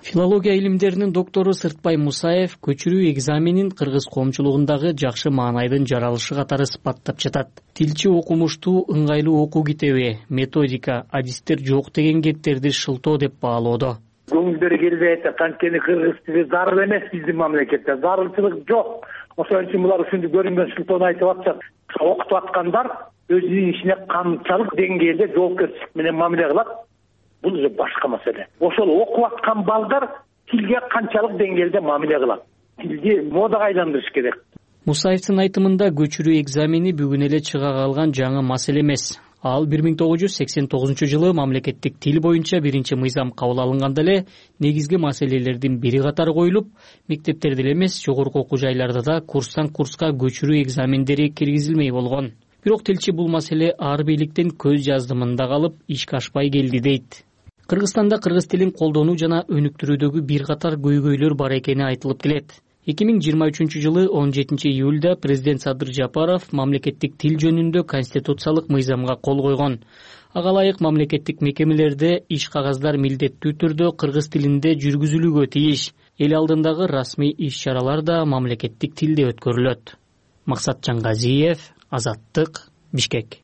Филология илимдеринин доктору Сыртбай Мусаев көчүрүү экзаменин кыргыз коомчулугундагы жакшы маанайдын жаралышы катары сыпаттап жатат. Тилчи окумуштуу, ыңгайлуу окуу китеби, методика, адистер жок деген кептерди шылтоо деп баалоодо. көңүлдөрү келбей атат. Анткени кыргыз тили зарыл эмес биздин мамлекетте. Зарылчылык жок. Ошон үчүн булар ушунду көрүнгөн сылтоон айтып атышат. Окутуп аткандар өзүнүн ишине канчалык деңгээлде жоопкерчилик менен мамиле кылат, бул уже башка маселе. Ошол окуп аткан балдар тилге канчалык деңгээлде мамиле кылат? Тилди модага айландырыш керек. Мусаевдин айтымында көчүрүү экзамени бүгүн эле чыга калган жаңы маселе эмес. Ал 1989-жылы мамлекеттик тил боюнча биринчи мыйзам кабыл алынганда эле негизги маселелердин бири катары коюлуп, мектептерде эле эмес, жогорку окуу жайларда да курстан курска көчүрүү экзамендери киргизилмей болгон. Бирок тилчи бул маселе ар бийликтен көз жаздымында калып, ишке ашпай келди дейт. Кыргызстанда кыргыз тилин колдонуу жана өнүктүрүүдөгү бир катар көйгөйлөр бар экени айтылып келет. 2023-жылы 17 июлда президент Садыр Жапаров мамлекеттик тил жөнүндө конституциялык мыйзамга кол койгон. Ага ылайык мамлекеттик мекемелерде иш кагаздар милдеттүү түрдө кыргыз тилинде жүргүзүлүүгө тийиш. Эл алдындагы расмий иш-чаралар да мамлекеттик тилде өткөрүлөт. Максат Жангазиев, Азаттык, Бишкек.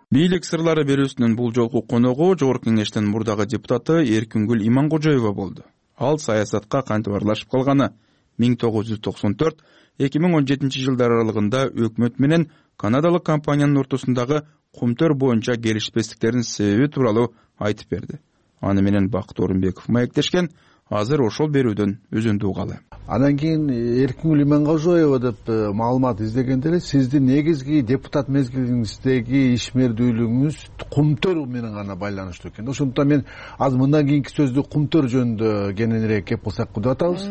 Бийлик сырлары берүүсүнүн бул жолку коногу Жогорку Кеңештин мурдагы депутаты Эркингүл Иманкожоева болду. Ал саясатка кантип аралашып калганы, 1994-2017 жылдар аралыгында өкмөт менен канадалык компаниянын ортосундагы кумтөр боюнча келишпестиктердин себеби тууралуу айтып берди. Аны менен Бакыт Орунбеков маектешкен. Азыр ошол берүүдөн өзүндү угалы. Андан кийин Эркингүл Иманкожоева деп маалымат издегенде эле сиздин негизги депутат мезгилиңиздеги ишмердүүлүгүңүз кумтөр менен гана байланыштуу экен. Ошондуктан мен азыр мындан кийинки сөздү кумтөр жөнүндө кененирээк кеп кылсак деп атабыз.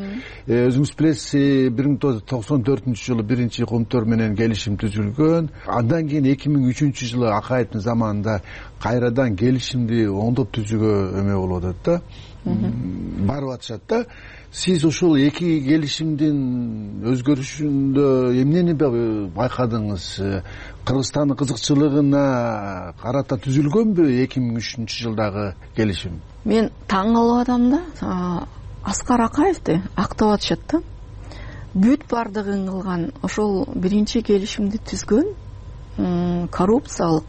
Өзүңүз билесиз, 1994-жылы биринчи кумтөр менен келишим түзүлгөн. Андан кийин 2003-жылы Акаевдин заманында кайрадан келишимди оңдоп түзүүгө эме болуп атат да. Барып атышат да. Сиз ушул эки келишимдин өзгөрүшүндө эмнени байкадыңыз? Кыргызстандын кызыкчылыгына карата түзүлгөнбү 2003-жылдагы келишим? Мен таң калып атам да. Аскар Акаевди актап атышат да. Бүт бардыгын кылган ошол биринчи келишимди түзгөн коррупциялык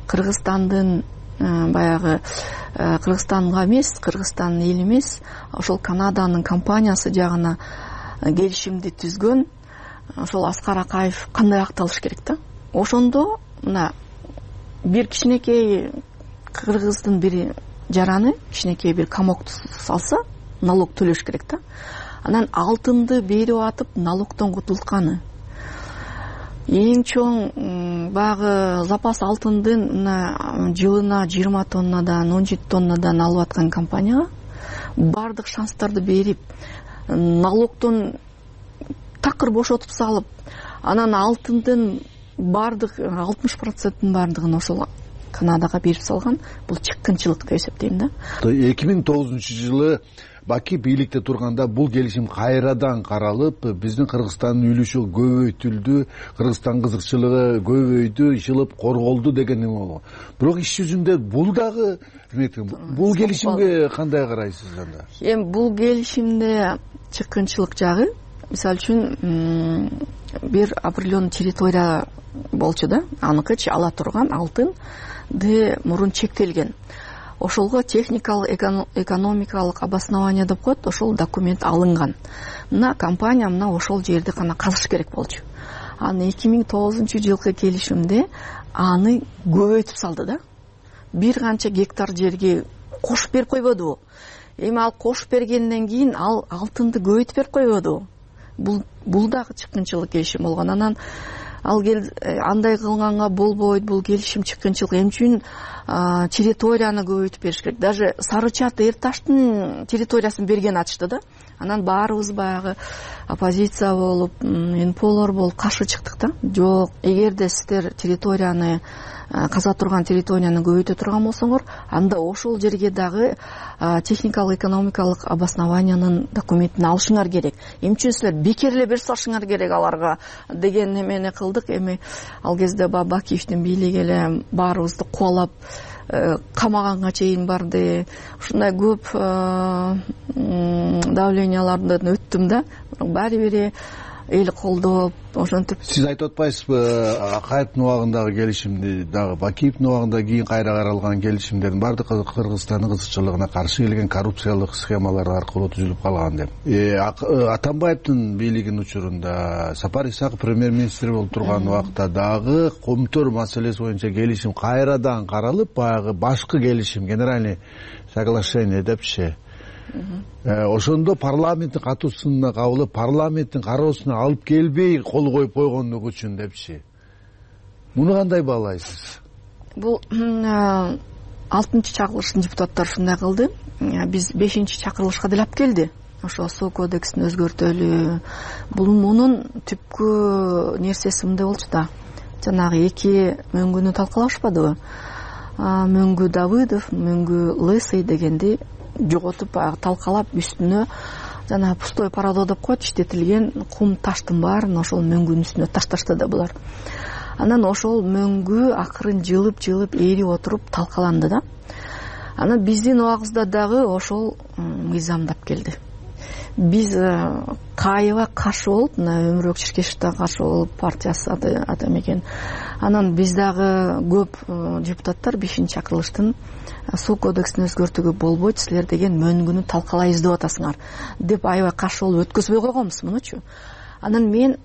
Кыргызстандын баягы Кыргызстанга эмес, Кыргызстандын эли эмес, ошол Канаданын компаниясы жагына келишимди түзгөн ошол Аскар Акаев кандай акталыш керек да? Ошондо мына бир кичинекей кыргыздын бир жараны, кичинекей бир комокту салса, налог төлөш керек да. Анан алтынды берип атып, налогдон кутултканы. Эң чоң багы запас алтындын жылына 20 тоннадан, 17 тоннадан алып аткан компанияга бардык шанстарды берип, налогдон такыр бошотуп салып, анан алтындын бардык 60%-ын бардыгын ошол Канадага берип салган. Бул чыккынчылык деп эсептейм да. 2009-жылы Баки бийликте турганда бул келишим кайрадан каралып, биздин Кыргызстандын үлүшү көбөйтүлдү, Кыргызстан кызыкчылыгы көбөйдү, ишилип корголду деген эме болгон. Бирок иш жүзүндө бул дагы бул келишимге кандай карайсыз анда? Эми бул келишимде чыккынчылык жагы, мисалы үчүн бир определенный территория болчу да, аныкычы ала турган алтынды мурун чектелген. Ошолго техникалык, экономикалык обоснование деп коет, ошол документ алынган. Мына компания мына ошол жерди гана казыш керек болчу. Аны 2009-жылкы келишимде аны көбөйтүп салды да. Бир канча гектар жерге кошуп берип койбоду. Эми ал кошуп бергенден кийин ал алтынды көбөйтүп берип койбоду. Бул дагы чыккынчылык келишим болгон. Анан ал андай кылганга болбойт, бул келишим чыккынчылык. Эмне үчүн территорияны көбөйтүп бериш керек? Даже Сары Чат, Эр Таштын территориясын берген атышты да. Анан баарыбыз баягы оппозиция болуп, НПОлор болуп каршы чыктык да. Жок, эгерде сиздер территорияны каза турган территорияны көбөйтө турган болсоңор, анда ошол жерге дагы техникалык, экономикалык обоснованиянын документин алышыңар керек. Эмне үчүн силер бекер эле берип салышыңар керек аларга деген эмени кылдык. Эми ал кезде Бакиевдин бийлиги эле баарыбызды кубалап камаганга чейин барды. Ушундай көп давлениялардан өттүм да. Баары бири эл колдоп ошентип. Сиз айтып атпайсызбы Акаевдин убагындагы келишимди дагы Бакиевдин убагында кийин кайра каралган келишимдердин баардык Кыргызстандын кызыкчылыгына каршы келген коррупциялык схемалар аркылуу түзүлүп калган деп. Атамбаевдин бийлигинин учурунда Сапар Исаков премьер-министр болуп турган убакта дагы Комтөр маселеси боюнча келишим кайрадан каралып, баягы башкы келишим, генеральный соглашение депчи. Ошондо парламенттин катуусуна кабылып, парламенттин кароосуна алып келбей кол коюп койгондугу үчүн депчи. Муну кандай баалайсыз? Бул 6-чы чакырылыштын депутаттары ушундай кылды. Биз 5-чи чакырылышка деле алып келди. Ошо суу кодексин өзгөртөлү. Бул мунун түпкү нерсеси мындай болчу да. Жанагы эки мөңгүнү талкалашпадыбы? Мөңгү Давыдов, мөңгү Лысый дегенди жоготуп талкалап үстүнө жана пустой парадо деп коет, иштетилген кум таштын баарын ошол мөңгүнүн үстүнө ташташты да булар. Анан ошол мөңгү акырын жылып ээрип отуруп талкаланды да. Анан биздин убагыбызда дагы ошол мыйзамдап келди. Биз Каева каршы болуп, мына Өмүрбек Чиркешевден каршы болуп, партиясы адам экен. Анан биз дагы көп депутаттар 5-чи чакырылыштын суу кодексин өзгөртүүгө болбойт, силер деген мөңгүнү талкалайбыз деп атасыңар деп аябай каршы болуп өткөзбөй койгонбуз мунучу. Анан мен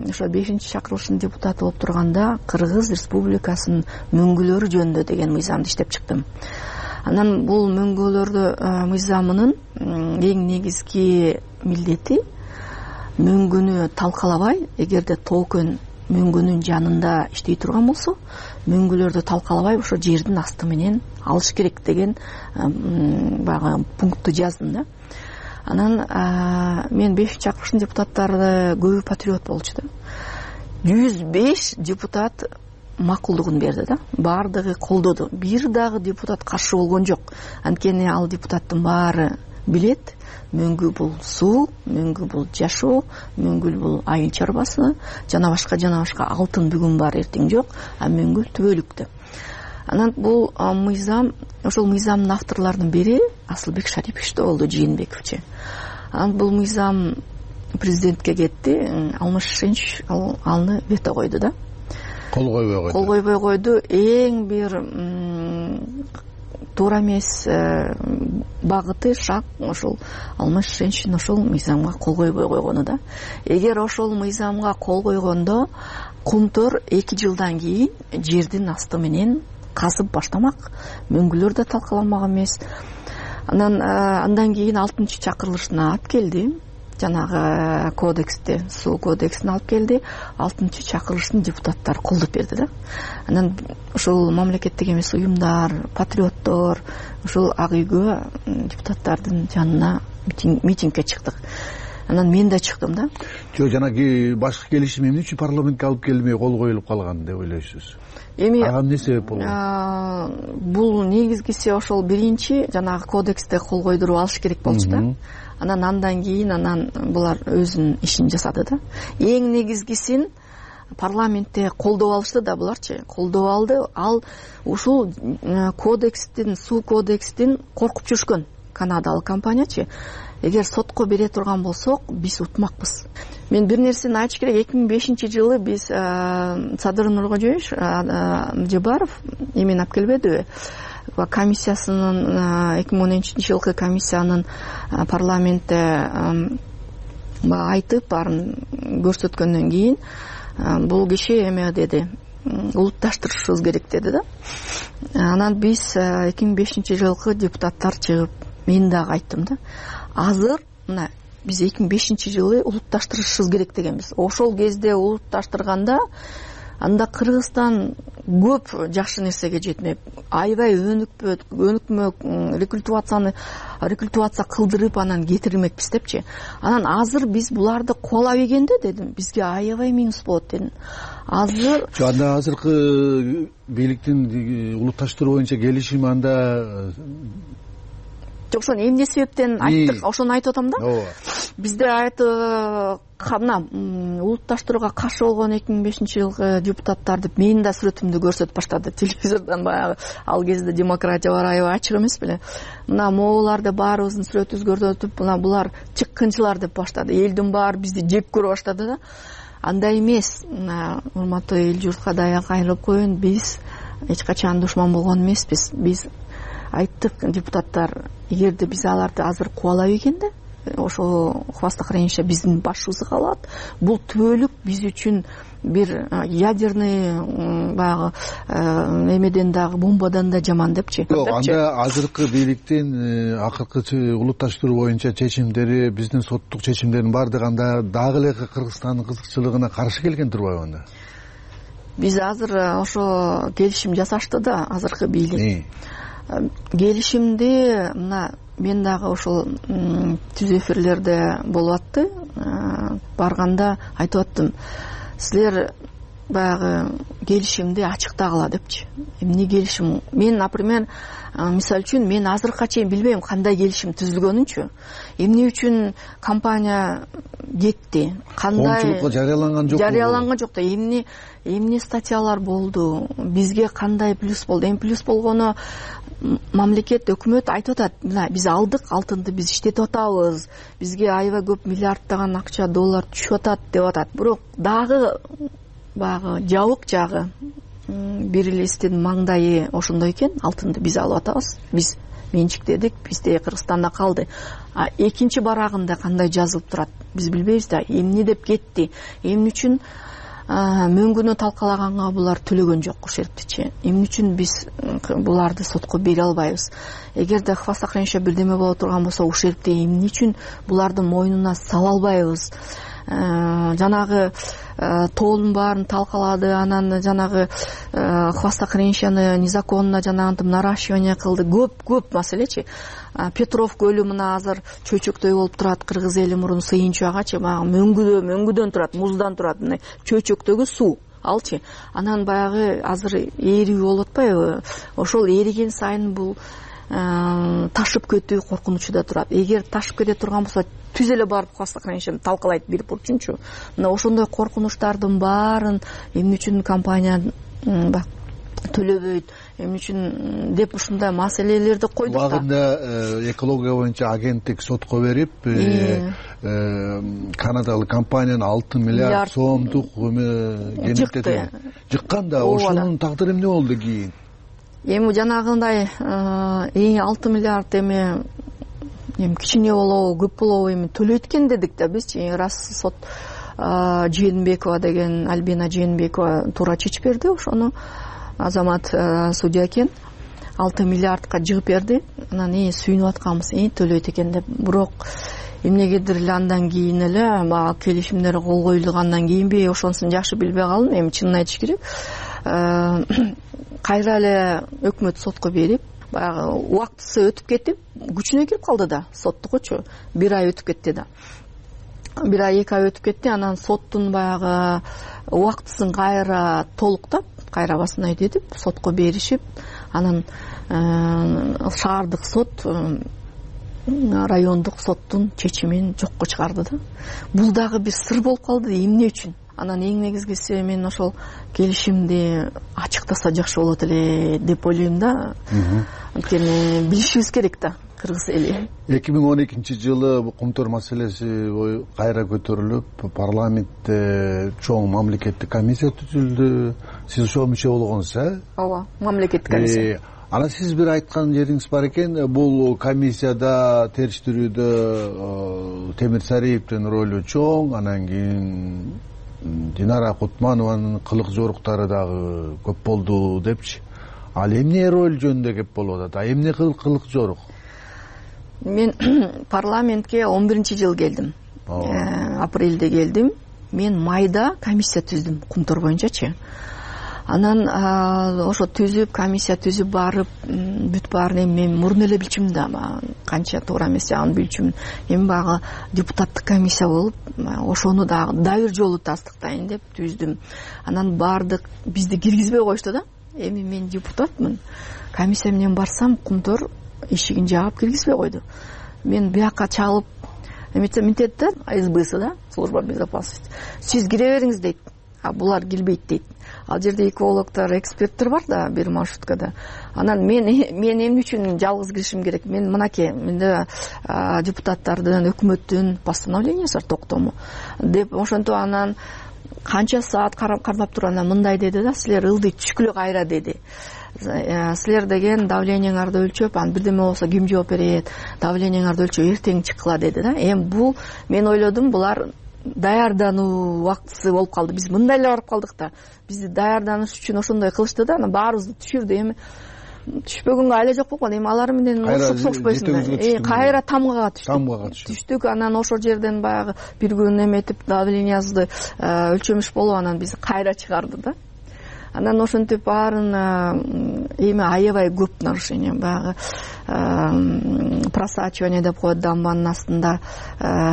ошо 5-чи чакырылыштын депутаты болуп турганда Кыргыз Республикасынын мөңгүлөрү жөнүндө деген мыйзамды иштеп чыктым. Анан бул мөңгүлөрдү мыйзамынын эң негизги милдети мөңгүнү талкалабай, эгерде тоокөн мөңгүнүн жанында иштей турган болсо, мөңгүлөрдү талкалабай ошо жердин асты менен алыш керек деген баягы пунктты жаздым да. Анан мен 5-чи чакырылыштын депутаттары көбү патриот болчу да. 105 депутат макулдугун берди да. Баардыгы колдоду. Бир дагы депутат каршы болгон жок. Анткени ал депутаттын баары билет, мөңгү бул суу, мөңгү бул жашоо, мөңгү бул айыл чарбасы, жана башка алтын бүгүн бар, эртең жок, а мөңгү түбөлүктө. Анан бул мыйзам, ошол мыйзамдын авторлорунун бири Асылбек Шарипович да болду, Жээнбековичи. Анан бул мыйзам президентке кетти, Алмаз Шишенч аны вето койду да. Кол койбой койду. Эң бир туура эмес багыты, шаг ошол Алмаз Шишенчтин ошол мыйзамга кол койбой койгону да. Эгер ошол мыйзамга кол койгондо Комтөр 2 жылдан кийин жердин асты менен казып баштамак, мөңгүлөр да талкаланмак эмес. Андан кийин 6-чы чакырылышына алып келди. Жанагы кодексти, суу кодексин алып келди. 6-чы чакырылыштын депутаттары колдоп берди да. Анан ошол мамлекеттик эмес уюмдар, патриоттор ошол ак үйгө депутаттардын жанына митингге чыктык. Анан мен да чыктым да. Жок, жанагы башкы келишим эмне үчүн парламентке алып келмей кол коюлуп калган деп ойлойсуз? Ага эмне себеп болгон? Бул негизгиси ошол биринчи жанагы кодексте кол койдуруп алыш керек болчу да. Андан кийин булар өзүнүн ишин жасады да. Эң негизгисин парламентте колдоп алышты да буларчы. Колдоп алды. Ал ушул кодекстин, суу кодекстин коркуп жүрүшкөн канадалык компаниячы. Эгер сотко бере турган болсок, биз утмакпыз. Мен бир нерсени айтыш керек. 2005-жылы биз Садыр Нуркожоевич Жебаров эмени алып келбедиби? Комиссиясынын 2010-жылкы комиссиянын парламентте айтып баарын көрсөткөндөн кийин бул киши эме деди, улутташтырышыбыз керек деди да. Анан биз 2005-жылкы депутаттар чыгып мен дагы айттым да. Азыр мына биз 2005-жылы улутташтырышыбыз керек дегенбиз. Ошол кезде улутташтырганда анда Кыргызстан көп жакшы нерсеге жетмеп, аябай өнүкмөк рекультивация кылдырып анан кетирмекпиз депчи. Анан азыр биз буларды кубалап ийгенде дедим, бизге аябай минус болот дедим. Азыр анда азыркы бийликтин улутташтыруу боюнча келишим анда жок ошону эмне себептен айттык ошону айтып атам да. ооба бизде мына улутташтырууга каршы болгон 2005-жылкы депутаттар деп менин да сүрөтүмдү көрсөтүп баштады телевизордон. Баягы ал кезде демократия бар, аябай ачык эмес беле. Мына могуларды баарыбыздын сүрөтүбүздү көрсөтүп, мына булар чыккынчылар деп баштады. Элдин баары бизди жек көрө баштады да. Андай эмес. Мына урматтуу эл журтка даяр кайрылып коеюн. Биз эч качан душман болгон эмеспиз. Биз айттык, депутаттар, эгерде биз аларды азыр кубалап экенде, ошол Хвастах Ренша биздин башыбызды каалап, бул түбөлүк биз үчүн бир ядерный баягы эмеден дагы бомбадан да жаман депчи. Жок, анда азыркы бийликтин акыркы улутташтыруу боюнча чечимдери, биздин соттук чечимдердин баардыгы анда дагы эле Кыргызстандын кызыкчылыгына каршы келген турбайбы анда? Биз азыр ошо келишим жасашты да, азыркы бийлик. Келишимди мына мен дагы ошол түз эфирлерде болуп атты. Барганда айтып аттым, силер баягы келишимди ачыктагыла депчи. Эмне келишим? Мен, например, мисалы үчүн мен азыркыга чейин билбейм кандай келишим түзүлгөнүнчү. Эмне үчүн компания кетти? Кандай коомчулукка жарыяланган жок? Жарыяланган жок да. Эмне статьялар болду? Бизге кандай плюс болду? Эми плюс болгону мамлекет, өкмөт айтып атат, мына биз алдык алтынды, биз иштетип атабыз, бизге аябай көп миллиарддаган акча, доллар түшүп атат деп атат. Бирок дагы баягы жабык жагы бир элестин маңдайы ошондой экен, алтынды биз алып атабыз, биз менчиктедик, бизде Кыргызстанда калды. Экинчи барагында кандай жазылып турат, биз билбейбиз да. Эмне деп кетти, эмне үчүн мөңгүнү талкалаганга булар төлөгөн жок ушерптичи. Эмне үчүн биз буларды сотко бере албайбыз? Эгерде Хвастах Ренша бирдеме боло турган болсо, ушерпти эмне үчүн булардын мойнуна сала албайбыз? Жанагы тоолун баарын талкалады, анан жанагы Хвастах Реншаны незаконно жанагынтип наращивание кылды. Көп маселечи. Петров көлү мына азыр чөйчөктөй болуп турат. Кыргыз эли мурун сыйынчуагачы баягы мөңгүдөн турат, муздан турат, мына чөйчөктөгү суу алчы. Анан баягы азыр ээрүү болуп атпайбы? Ошол эриген сайын бул ташып кетүү коркунучу да турат. Эгер ташып кете турган болсо, түз эле барып Хвастах Реншаны талкалайт бир бурчунчу. Мына ошондой коркунучтардын баарын эмне үчүн компания төлөбөйт, эмне үчүн деп ушундай маселелерди койдук да. Убагында экология боюнча агенттик сотко берип, канадалык компаниянын 6 миллиард сомдук жыккан да. Ошонун тагдыры эмне болду кийин? Эми жанагындай 6 миллиард эми кичине болобу, көп болобу эми төлөйт экен дедик да бизчи. Раз сот Жээнбекова деген, Альбина Жээнбекова туура чечип берди ошону. Азамат судья экен, 6 миллиардка жыгып берди. Анан сүйүнүп атканбыз, төлөйт экен деп. Бирок эмнегедир эле андан кийин эле баягы келишимдер кол коюлгандан кийинби, ошонусун жакшы билбей калдым. Эми чынын айтыш керек, кайра эле өкмөт сотко берип, баягы убактысы өтүп кетип, күчүнө кирип калды да, соттукучу. 1 ай өтүп кетти да. 1 ай 2 ай өтүп кетти. Анан соттун баягы убактысын кайра толуктап, кайра басына өтүп, сотко беришип, анан шаардык сот райондук соттун чечимин жокко чыгарды да. Бул дагы бир сыр болуп калды, эмне үчүн? Анан эң негизгиси мен ошол келишимди ачыктаса жакшы болот эле деп ойлойм да. Анткени билишибиз керек да кыргыз эли. 2012-жылы Кумтөр маселеси кайра көтөрүлүп, парламентте чоң мамлекеттик комиссия түзүлдү. Сиз ошого мүчө болгонсуз, Ооба, мамлекеттик комиссия. Анан сиз бир айткан жериңиз бар экен, бул комиссияда териштирүүдө Темир Сариевдин ролу чоң, анан кийин Динара Кутманованын кылык жоруктары дагы көп болду депчи. Ал эмне роль жөнүндө кеп болуп атат? Эмне кылык жорук? Мен парламентке 11-жылы келдим. Апрелде келдим. Мен майда комиссия түздүм, Кумтөр боюнчачы. Анан ошо түзүп, комиссия түзүп барып, бүт баарын мен мурун эле билчүмүн да, канча туура эмес жагын билчүмүн. Эми баягы депутаттык комиссия болуп, ошону дагы бир жолу тастыктайын деп түздүм. Анан бардык бизди киргизбей коюшту да. Эми мен депутатмын. Комиссия менен барсам, Кумтөр эшигин жаап киргизбей койду. Мен бияка чалып эметсем мынтет да, СБсы да, служба безопасности, сиз кире бериңиз дейт, а булар келбейт дейт. Ал жерде экологдор, эксперттер бар да бир маршруткада. Анан мен эмне үчүн жалгыз киришим керек? Мен мынакей, менде депутаттардын, өкмөттүн постановлениясы бар, токтому деп ошентип анан канча саат кармап туруп анан мындай деди да, силер ылдый түшкүлө кайра деди. Силер деген давлениеңарды өлчөп, анан бирдеме болсо ким жооп берет? Давлениеңарды өлчөп эртең чыккыла деди да. Эми бул мен ойлодум, булар даярдануу убактысы болуп калды. Биз мындай эле барып калдык да. Бизди даярданыш үчүн ошондой кылышты да, анан баарыбызды түшүрдү. Эми түшпөгөнгө айла жок болгон. Эми алар менен урушуп согушпайсыңбы? Кайра тамгага түштүк. Анан ошол жерден баягы бир күн эметип давлениясыбызды өлчөмүш болуп, анан биз кайра чыгарды да. Анан ошентип баарын эми аябай көп нарушение, баягы просачивание деп коет, дамбанын астында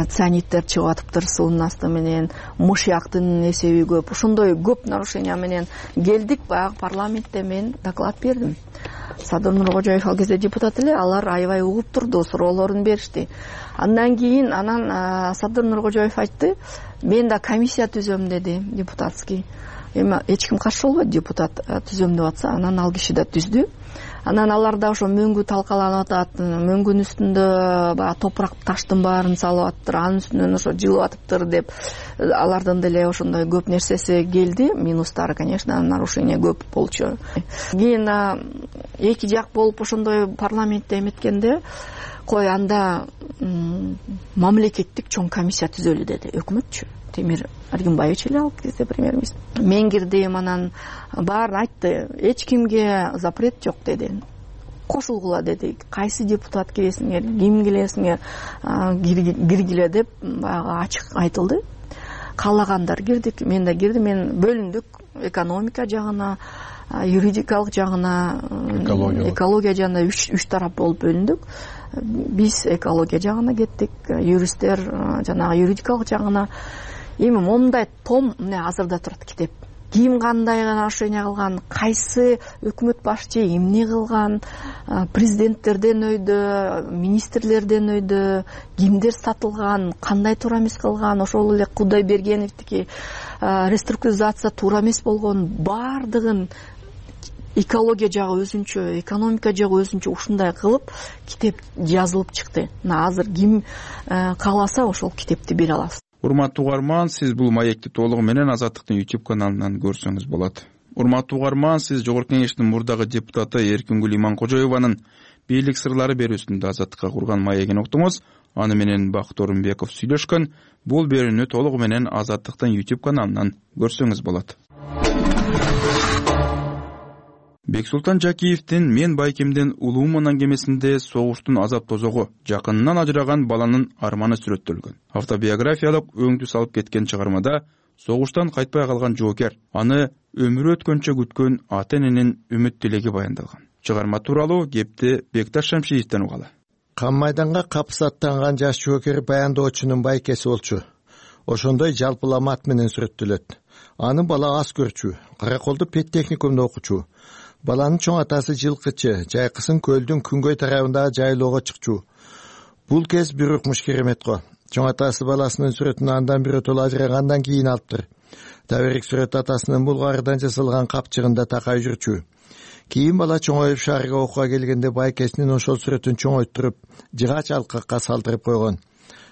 цианиттер чыгып атыптыр суунун асты менен, мышыяктын эсеби көп. Ошондой көп нарушение менен келдик. Баягы парламентте мен доклад бердим. Садыр Нуркожоев ал кезде депутат эле, алар аябай угуп турду, суроолорун беришти. Андан кийин Садыр Нуркожоев айтты, мен да комиссия түзөм деди, депутатский. Эми эч ким каршы болбойт, депутат түзөм деп атса, анан ал киши да түздү. Анан аларда ошо мөңгү талкаланып атат, мөңгүнүн үстүндө баягы топурак таштын баарын салып атыптыр, анын үстүнөн ошо жылып атыптыр деп алардын деле ошондой көп нерсеси келди. Минустары, конечно, нарушение көп болчу. Кийин эки жак болуп ошондой парламентте эметкенде, кой анда мамлекеттик чоң комиссия түзөлү деди өкмөтчү. Темир Аргимбаевич эле ал кезде премьер-министр. Мен кирдим, анан баарын айтты. Эч кимге запрет жок деди. Кошулгула деди. Кайсы депутат киресиңер, ким келесиңер, киргиле деп баягы ачык айтылды. Каалагандар кирдик, мен да кирдим. Мен бөлүндүк экономика жагына, юридикалык жагына, экология жагына үч тарап болуп бөлүндүк. Биз экология жагына кеттик, юристтер жанагы юридикалык жагына. Эми момундай том азырда турат китеп. Ким кандай нарушение кылган, кайсы өкмөт башчы эмне кылган, президенттерден өйдө, министрлерден өйдө, кимдер сатылган, кандай туура эмес кылган, ошол эле Кудайбергеновдики реструктуризация туура эмес болгон, баардыгын экология жагы өзүнчө, экономика жагы өзүнчө ушундай кылып китеп жазылып чыкты. Азыр ким кааласа ошол китепти бере алабыз. Урматтуу угарман, сиз бул маекти толугу менен Азаттыктын YouTube каналынан көрсөңүз болот. Урматтуу угарман, сиз Жогорку Кеңештин мурдагы депутаты Эркингүл Иманкожоеванын бийлик сырлары берүүсүндө Азаттыкка курган маегин уктуңуз. Аны менен Бакыт Орунбеков сүйлөшкөн. Бул берүүнү толугу менен Азаттыктын YouTube каналынан көрсөңүз болот. Бексултан Жакиевдин «Мен Байкемден улуумун» аңгемесинде согуштун азап тозогу, жакынынан ажыраган баланын арманы сүрөттөлгөн. Автобиографиялык өңдү салып кеткен чыгармада согуштан кайтпай калган жоокер, аны өмүрү өткөнчө күткөн ата-эненин үмүт тилеги баяндалган. Чыгарма тууралуу кепти Бекташ Шамшиевден угалы. Кам майданга капыс аттанган жаш жоокер баяндоочунун байкеси болчу. Ошондой жалпылама ат менен сүрөттөлөт. Аны бала аз көрчү, Караколду пет техникумда окучу. Баланын чоң атасы жылкычы, жайкысын көлдүн күнгөй тарабындагы жайлоого чыкчу. Бул кез бир укмуш керемет го. Чоң атасы баласынын сүрөтүн андан биротоло ажырагандан кийин алыптыр. Таберик сүрөт атасынын булгарыдан жасалган капчыгында такай жүрчү. Кийин бала чоңоюп шаарга окууга келгенде байкесинин ошол сүрөтүн чоңойтуруп, жыгач алкакка салдырып койгон.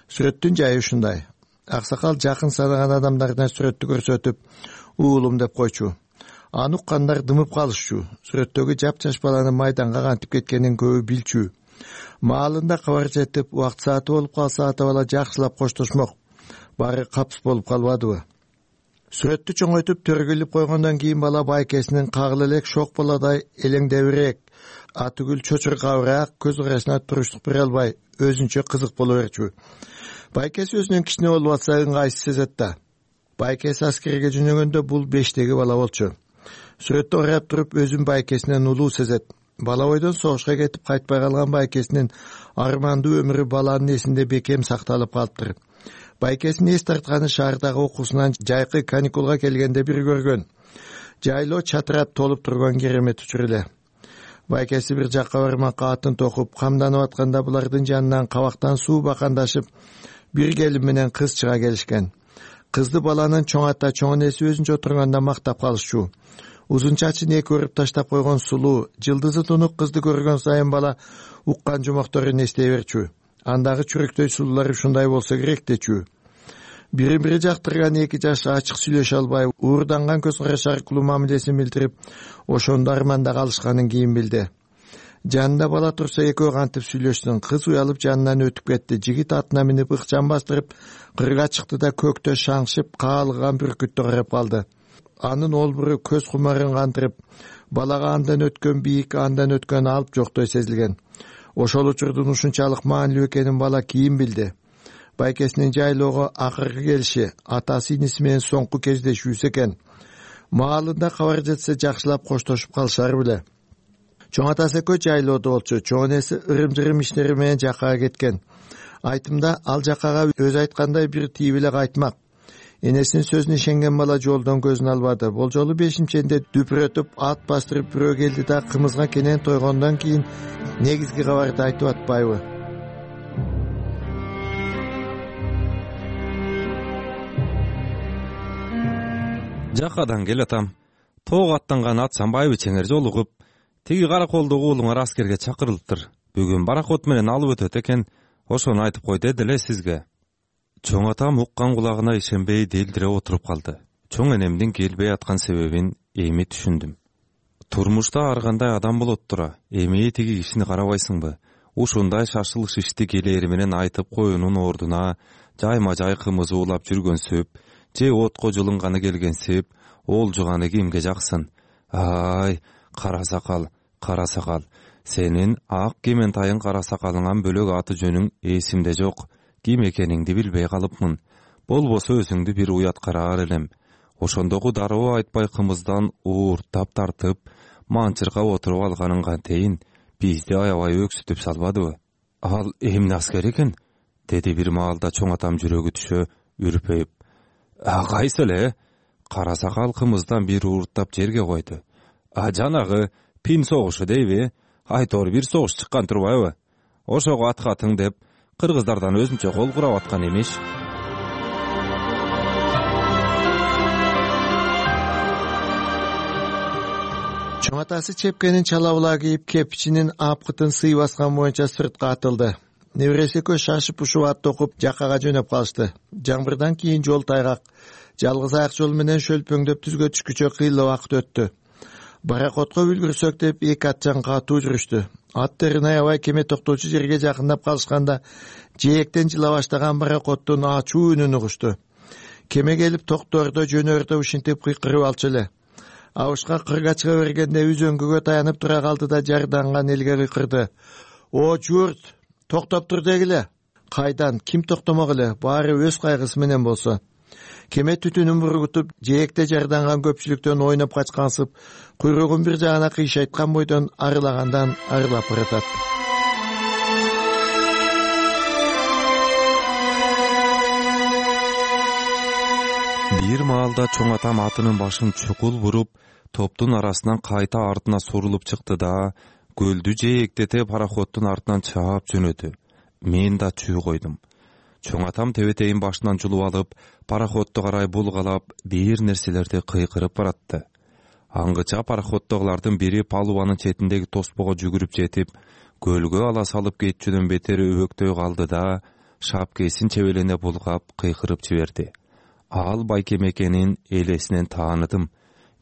Сүрөттүн жайы ушундай. Аксакал жакын санаган адамдарына сүрөттү көрсөтүп, уулум деп койчу. Аны уккандар дымып калышчу. Сүрөттөгү жапжаш баланын майданга кантип кеткенин көбү билчү. Маалында кабар жетип, убакыт сааты болуп калса ата бала жакшылап коштошмок. Баары капыс болуп калбадыбы? Сүрөттү чоңойтуп төргүлүп койгондон кийин бала байкесинин кагыл элек шок баладай элеңдебирээк, атүгүл чочуркабыраак, көз карашына туруштук бере албай, өзүнчө кызык боло берчү. Байкеси өзүнүн кичине болуп атса ыңгайсыз сезет да. Байкеси аскерге жөнөгөндө бул 5-теги бала болчу. Сүрөттө карап туруп өзүн байкесинен улуу сезет. Бала бойдон согушка кетип кайтпай калган байкесинин армандуу өмүрү баланын эсинде бекем сакталып калыптыр. Байкесин эс тартканы шаардагы окуусунан жайкы каникулга келгенде бир көргөн. Жайлоо чатырап толуп турган керемет учур эле. Байкеси бир жакка бармакка атын токуп камданып атканда булардын жанынан кабактан суу бакандашып бир келин менен кыз чыга келишкен. Кызды баланын чоң ата чоң энеси өзүнчө отурганда мактап калышчу. Узун чачын эки өрүп таштап койгон сулуу, жылдызы тунук кызды көргөн сайын бала уккан жумакторун эстей берчү. Андагы чүрөктөй сулуулар ушундай болсо керек дечү. Бири-бири жактырган эки жаш ачык сүйлөшө албай, уурданган көз караш аркылуу мамилесин билдирип, ошондо арманда калышканын кийин билди. Жанында бала турса экөө кантип сүйлөшсүн. Кыз уялып жанынан өтүп кетти. Жигит атына минип ыкчам бастырып кырга чыкты да көктө шаңшып каалган бүркүттү карап калды. Анын олбуру көз кумарын кантырып, балага андан өткөн бийик, андан өткөн алып жоктой сезилген. Ошол учурдун ушунчалык маанилүү экенин бала кийин билди. Байкесинин жайлоого акыркы келиши атасы иниси менен соңку кездешүүсү экен. Маалында кабар жетсе жакшылап коштошуп калышар беле. Чоң атасы экөө жайлоодо болчу. Чоң энеси ырым-жырым иштери менен жаккага кеткен. Айтымда ал жаккага өзү айткандай бир тийип эле кайтмак. Энесинин сөзүнө ишенген бала жолдон көзүн албады. Бул жолу бешимченде дүпүрөтүп ат бастырып бирөө келди да кымызга кенен тойгондон кийин негизги кабарды айтып атпайбы? Жакадан келатам. Тоого аттанган атсанбайбы чеңер жолугуп, тиги караколдогу уулуңар аскерге чакырылыптыр. Бүгүн баракот менен алып өтөт экен. Ошону айтып кой деди эле сизге. Чоң атам уккан кулагына ишенбей делдире отуруп калды. Чоң энемдин келбей аткан себебин эми түшүндүм. Турмушта ар кандай адам болот тура. Эми тиги кишини карабайсыңбы? Ушундай шашылыш ишти келери менен айтып коюунун ордуна жайма-жай кымызы улап жүргөнсүп, же отко жылынганы келгенсип, олжуганы кимге жаксын? Ай, кара сакал. Сенин ак кементайын кара сакалыңан бөлөк аты жөнүң эсимде жок. Ким экениңди билбей калыпмын. Болбосо өзүңдү бир уят караар элем. Ошондогу дароо айтпай кымыздан ууртап тартып, манчырга отуруп алганың кантейин, бизди аябай өксүтүп салбадыбы? Ал эмне аскер экен? Деди бир маалда чоң атам жүрөгү түшө, үрпөйүп. Кайсы эле? Кара сакал кымыздан бир ууртап жерге койду. Жанагы пин согушу дейби? Айтор бир согуш чыккан турбайбы? Ошого аткатың деп кыргыздардан өзүнчө кол курап аткан эмиш. Чоң атасы чепкенин чалабыла кийип, кепичинин апкытын сый баскан боюнча сыртка атылды. Небереси экөө шашып ушуп ат токуп жаккага жөнөп калышты. Жаңбырдан кийин жол тайгак. Жалгыз аяк жол менен шөлпөңдөп түзгө түшкүчө кыйла убакыт өттү. Баракотко үлгүрсөк деп эки атчан катуу жүрүштү. Аттарын аябай кеме токтоочу жерге жакындап калышканда жээктен жыла баштаган баракоттун ачуу үнүн угушту. Кеме келип токтордо жөнөрдө ушинтип кыйкырып алчу эле. Абышка кырга чыга бергенде үзөңгүгө таянып тура калды да жарданган элге кыйкырды. О журт, токтоп тур дегиле. Кайдан, ким токтомок эле, баары өз кайгысы менен болсо. Кеме түтүнүн бургутуп, жээкте жарданган көпчүлүктөн ойноп качкансып, куйругун бир жагына кыйшайткан бойдон арылагандан арылап баратат. Бир маалда чоң атам атынын башын чукул буруп, топтун арасынан кайта артына сурулуп чыкты да, көлдү жээктете пароходдун артынан чаап жөнөдү. Мен да чүй койдум. Чоң атам тебетейин башынан жулуп алып, пароходду карай булгалап, бир нерселерди кыйкырып баратты. Аңгыча пароходдогулардын бири палубанын четиндеги тоспого жүгүрүп жетип, көлгө ала салып кетчүдөн бетер өбөктөй калды да, шапкесин чебелене булгап кыйкырып жиберди. Ал байкем экенин элесинен тааныдым.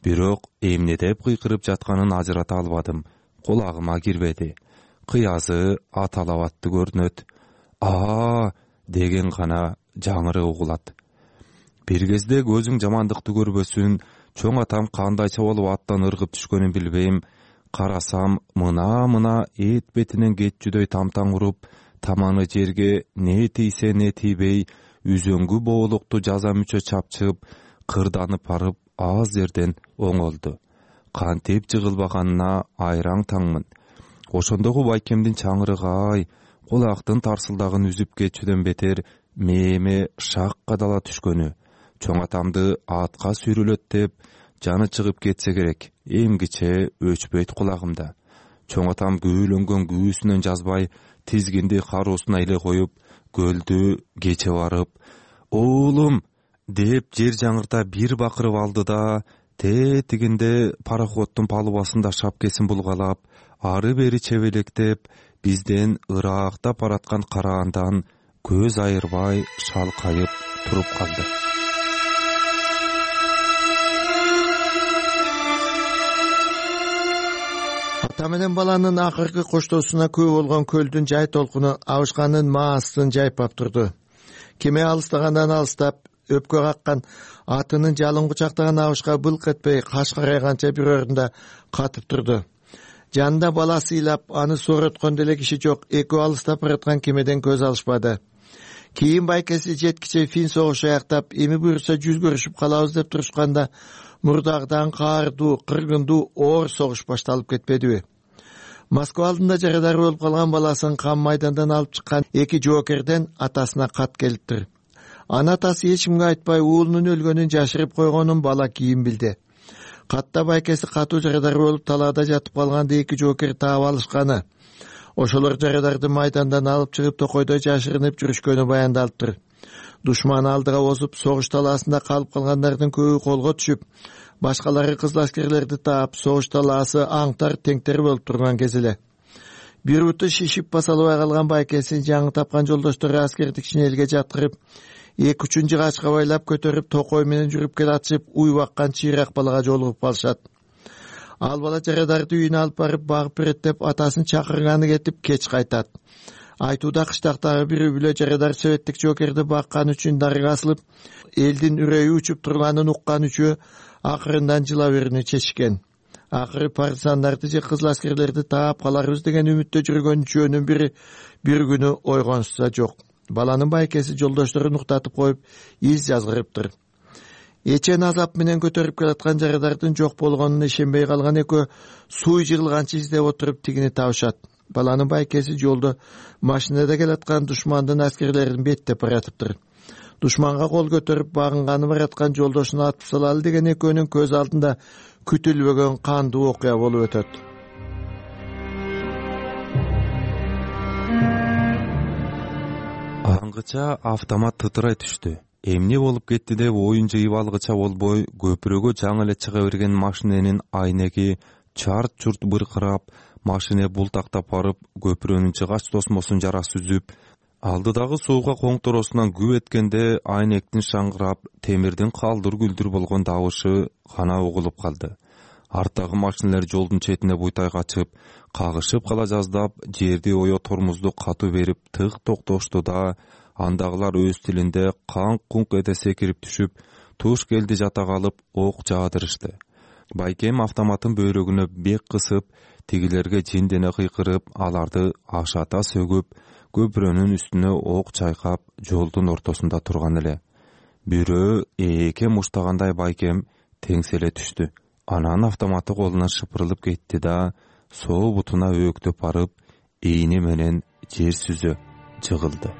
Бирок эмне деп кыйкырып жатканын ажырата албадым. Кулагыма кирбеди. Кыязы аталабатты көрүнөт. Деген гана жаңыры угулат. Бир кезде көзүң жамандыкты көрбөсүн, чоң атам кандайча болуп аттан ыргып түшкөнүн билбейм. Карасам, мына эт бетинен кетчүдөй тамтаң уруп, таманы жерге не тийсе не тийбей, үзөңгү боолукту жаза мүчө чапчып, кырданып барып, аз жерден оңолду. Кантип жыгылбаганына айраң таңмын. Ошондогу байкемдин чаңырыгы кулактын тарсылдагын үзүп кетчүдөн бетер мээме шак кадала түшкөнү. Чоң атамды атка сүйрөлөт деп, жаны чыгып кетсе керек, эмгиче өчпөйт кулагымда. Чоң атам күйөлөнгөн күүсүнөн жазбай тизгинди кароосуна эле коюп көлдү кече барып «Оолум» деп жер жаңырта бир бакырып алды да тетигинде пароходдун палубасында шапкесин булгалап ары бери чебелектеп бизден ыраактап бараткан караандан көз айырбай шалкайып туруп калды. Ата менен баланын акыркы коштоосуна күбө болгон көлдүн жай толкуну абышканын маасын жайпап турду. Кеме алыстагандан алыстап өпкө каккан атынын жалын кучактаган абышка былк этпей каш карайганча бир орунда катып турду. Жанында баласы ыйлап, аны сороткон деле киши жок. Экөө алыстап бараткан кемеден көз алышпады. Кийин байкеси жеткиче фин согушу аяктап, эми буюрса жүз көрүшүп калабыз деп турушканда мурдагыдан каардуу, кыргындуу оор согуш башталып кетпедиби? Москва алдында жарадар болуп калган баласын кам майдандан алып чыккан эки жоокерден атасына кат келиптир. Ана атасы эч кимге айтпай уулунун өлгөнүн жашырып койгонун бала кийин билди. Катта байкеси катуу жарадар болуп талаада жатып калганда эки жоокер таап алышканы, ошолор жарадарды майдандан алып чыгып токойдо жашырынып жүрүшкөнү баяндалыптыр. Душман алдыга озуп, согуш талаасында калып калгандардын көбү колго түшүп, башкалары кызыл аскерлерди таап, согуш талаасы аңтар теңтер болуп турган кез эле. Бир буту шишип басалбай калган байкесин жаңы тапкан жолдоштору аскердик шинелге жаткырып, эки үчүн жыгачка байлап көтөрүп токой менен жүрүп келатышып, уй баккан чыйрак балага жолугуп калышат. Ал бала жарадарды үйүнө алып барып багып берет деп атасын чакырганы кетип кеч кайтат. Айтууда кыштактагы бир бүлө жарадар советтик жоокерди баккан үчүн дарыга асылып, элдин үрөйү учуп турганын уккан үчөө акырындан жыла берүүнү чечишкен. Акыры партизандарды же кызыл аскерлерди таап каларбыз деген үмүттө жүргөн үчөөнүн бири бир күнү ойгонушса жок. Баланын байкеси жолдошторун уктатып коюп, из жазгырыптыр. Эчен азап менен көтөрүп келаткан жарадардын жок болгонуна ишенбей калган экөө суй жыгылганчы издеп отуруп тигини табышат. Баланын байкеси жолдо машинада келаткан душмандын аскерлерин беттеп баратыптыр. Душманга кол көтөрүп багынганы бараткан жолдошуну атып салалы деген экөөнүн көз алдында күтүлбөгөн кандуу окуя болуп өтөт. Аңгыча автомат тытырай түштү. Эмне болуп кетти деп оюн жыйып алгыча болбой, көпүрөгө жаңы эле чыга берген машиненин айнеги чарт-чурт быркырап, машине бултактап барып, көпүрөнүн чыгач тосмосун жарасы үзүп, алдыдагы сууга коңторосунан күп эткенде айнектин шаңгырап, темирдин калдыр-күлдүр болгон табышы гана угулуп калды. Арттагы машинелер жолдун четине буйтай качып, кагышып кала жаздап, жерди ое тормузду катуу берип тык токтошту да, андагылар өз тилинде канк-кунк эте секирип түшүп, туш келди жата калып, ок жаадырышты. Байкем автоматын бөйрөгүнө бек кысып, тигилерге жиндене кыйкырып, аларды ашата сөгүп, көпүрөнүн үстүнө ок чайкап, жолдун ортосунда турган эле. Бирөө эке муштагандай байкем теңселе түштү. Анан автоматы колунан шыпырылып кетти да, соо бутунаөөктөп барып, ийни менен жер сүзө жыгылды.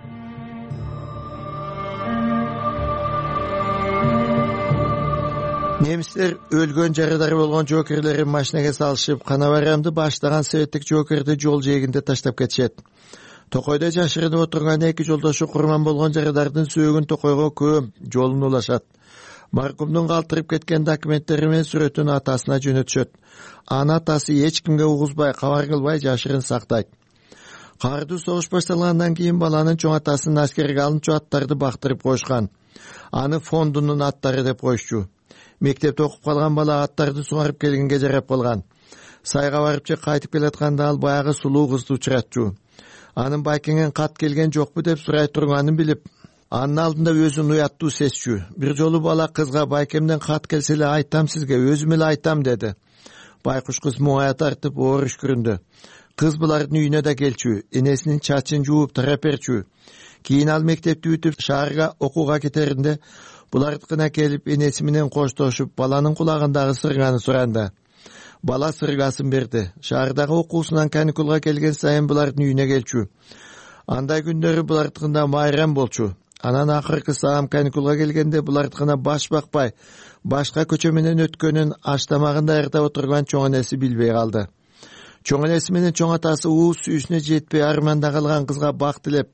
Немистер өлгөн жарадар болгон жоокерлерин машинеге салышып, Канабарамды баштаган советтик жоокерди жол жээгинде таштап кетишет. Токойдо жашырынып отурган эки жолдошу курман болгон жарадардын сөөгүн токойго көөп жолун улашат. Маркумдун калтырып кеткен документтери менен сүрөтүн атасына жөнөтүшөт. Ана атасы эч кимге угузбай, кабар кылбай жашырын сактайт. Кардуу согуш башталгандан кийин баланын чоң атасын аскерге алынчу аттарды бактырып коюшкан. Аны фондунун аттары деп коюшчу. Мектепте окуп калган бала аттарды сугарып келгенге жарап калган. Сайга барып же кайтып келатканда ал баягы сулуу кызды учуратчу. Анын байкеңен кат келген жокпу деп сурай турганын билип, анын алдында өзүн уяттуу сезчү. Бир жолу бала кызга байкемден кат келсе эле айтам сизге, өзүм эле айтам деди. Байкуш кыз муңая тартып оор үшкүрүндү. Кыз булардын үйүнө да келчү, энесинин чачын жууп тарап берчү. Кийин ал мектепти бүтүп шаарга окууга кетеринде булардыкына келип энеси менен коштошуп, баланын кулагындагы сырганы суранды. Бала сыргасын берди. Шаардагы окуусунан каникулга келген сайын булардын үйүнө келчү. Андай күндөрү булардыкында майрам болчу. Анан акыркы саам каникулга келгенде булардыкына баш бакпай, башка көчө менен өткөнүн аштамагын даярдап отурган чоң энеси билбей калды. чоң энеси менен чоң атасы уус сүйүүсүнө жетпей арманда калган кызга бак тилеп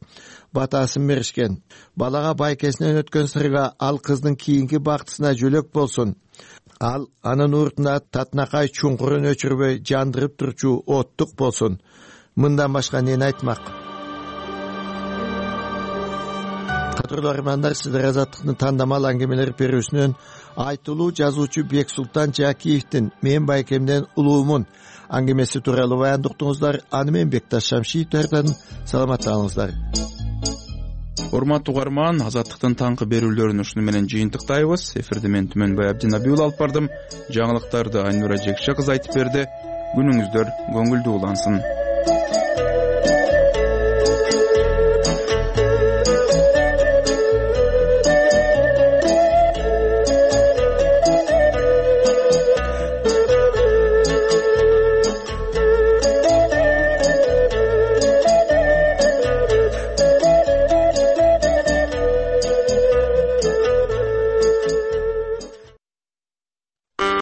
батасын беришкен. Балага байкесинен өткөн сырга ал кыздын кийинки бактысына жөлөк болсун. Ал анын уртуна татынакай чуңкурун өчүрбөй жандырып турчу оттук болсун. Мындан башка эмне айтмак? Кадырлуу армандар, сиздер Азаттыктын тандамал аңгемелер берүүсүнөн айтылуу жазуучу Бексултан Жакиевдин «Мен байкемден улуумун» аңгемеси тууралуу баяндуктуңуздар. Аны мен Бекташ Шамшиевдерден саламатта калыңыздар. Урматтуу угарман, Азаттыктын таңкы берүүлөрүн ушуну менен жыйынтыктайбыз. Эфирди мен Түмөнбай Абдинабиул алып бардым. Жаңылыктарды Айнура Жекше кыз айтып берди. Күнүңүздөр көңүлдүү улансын.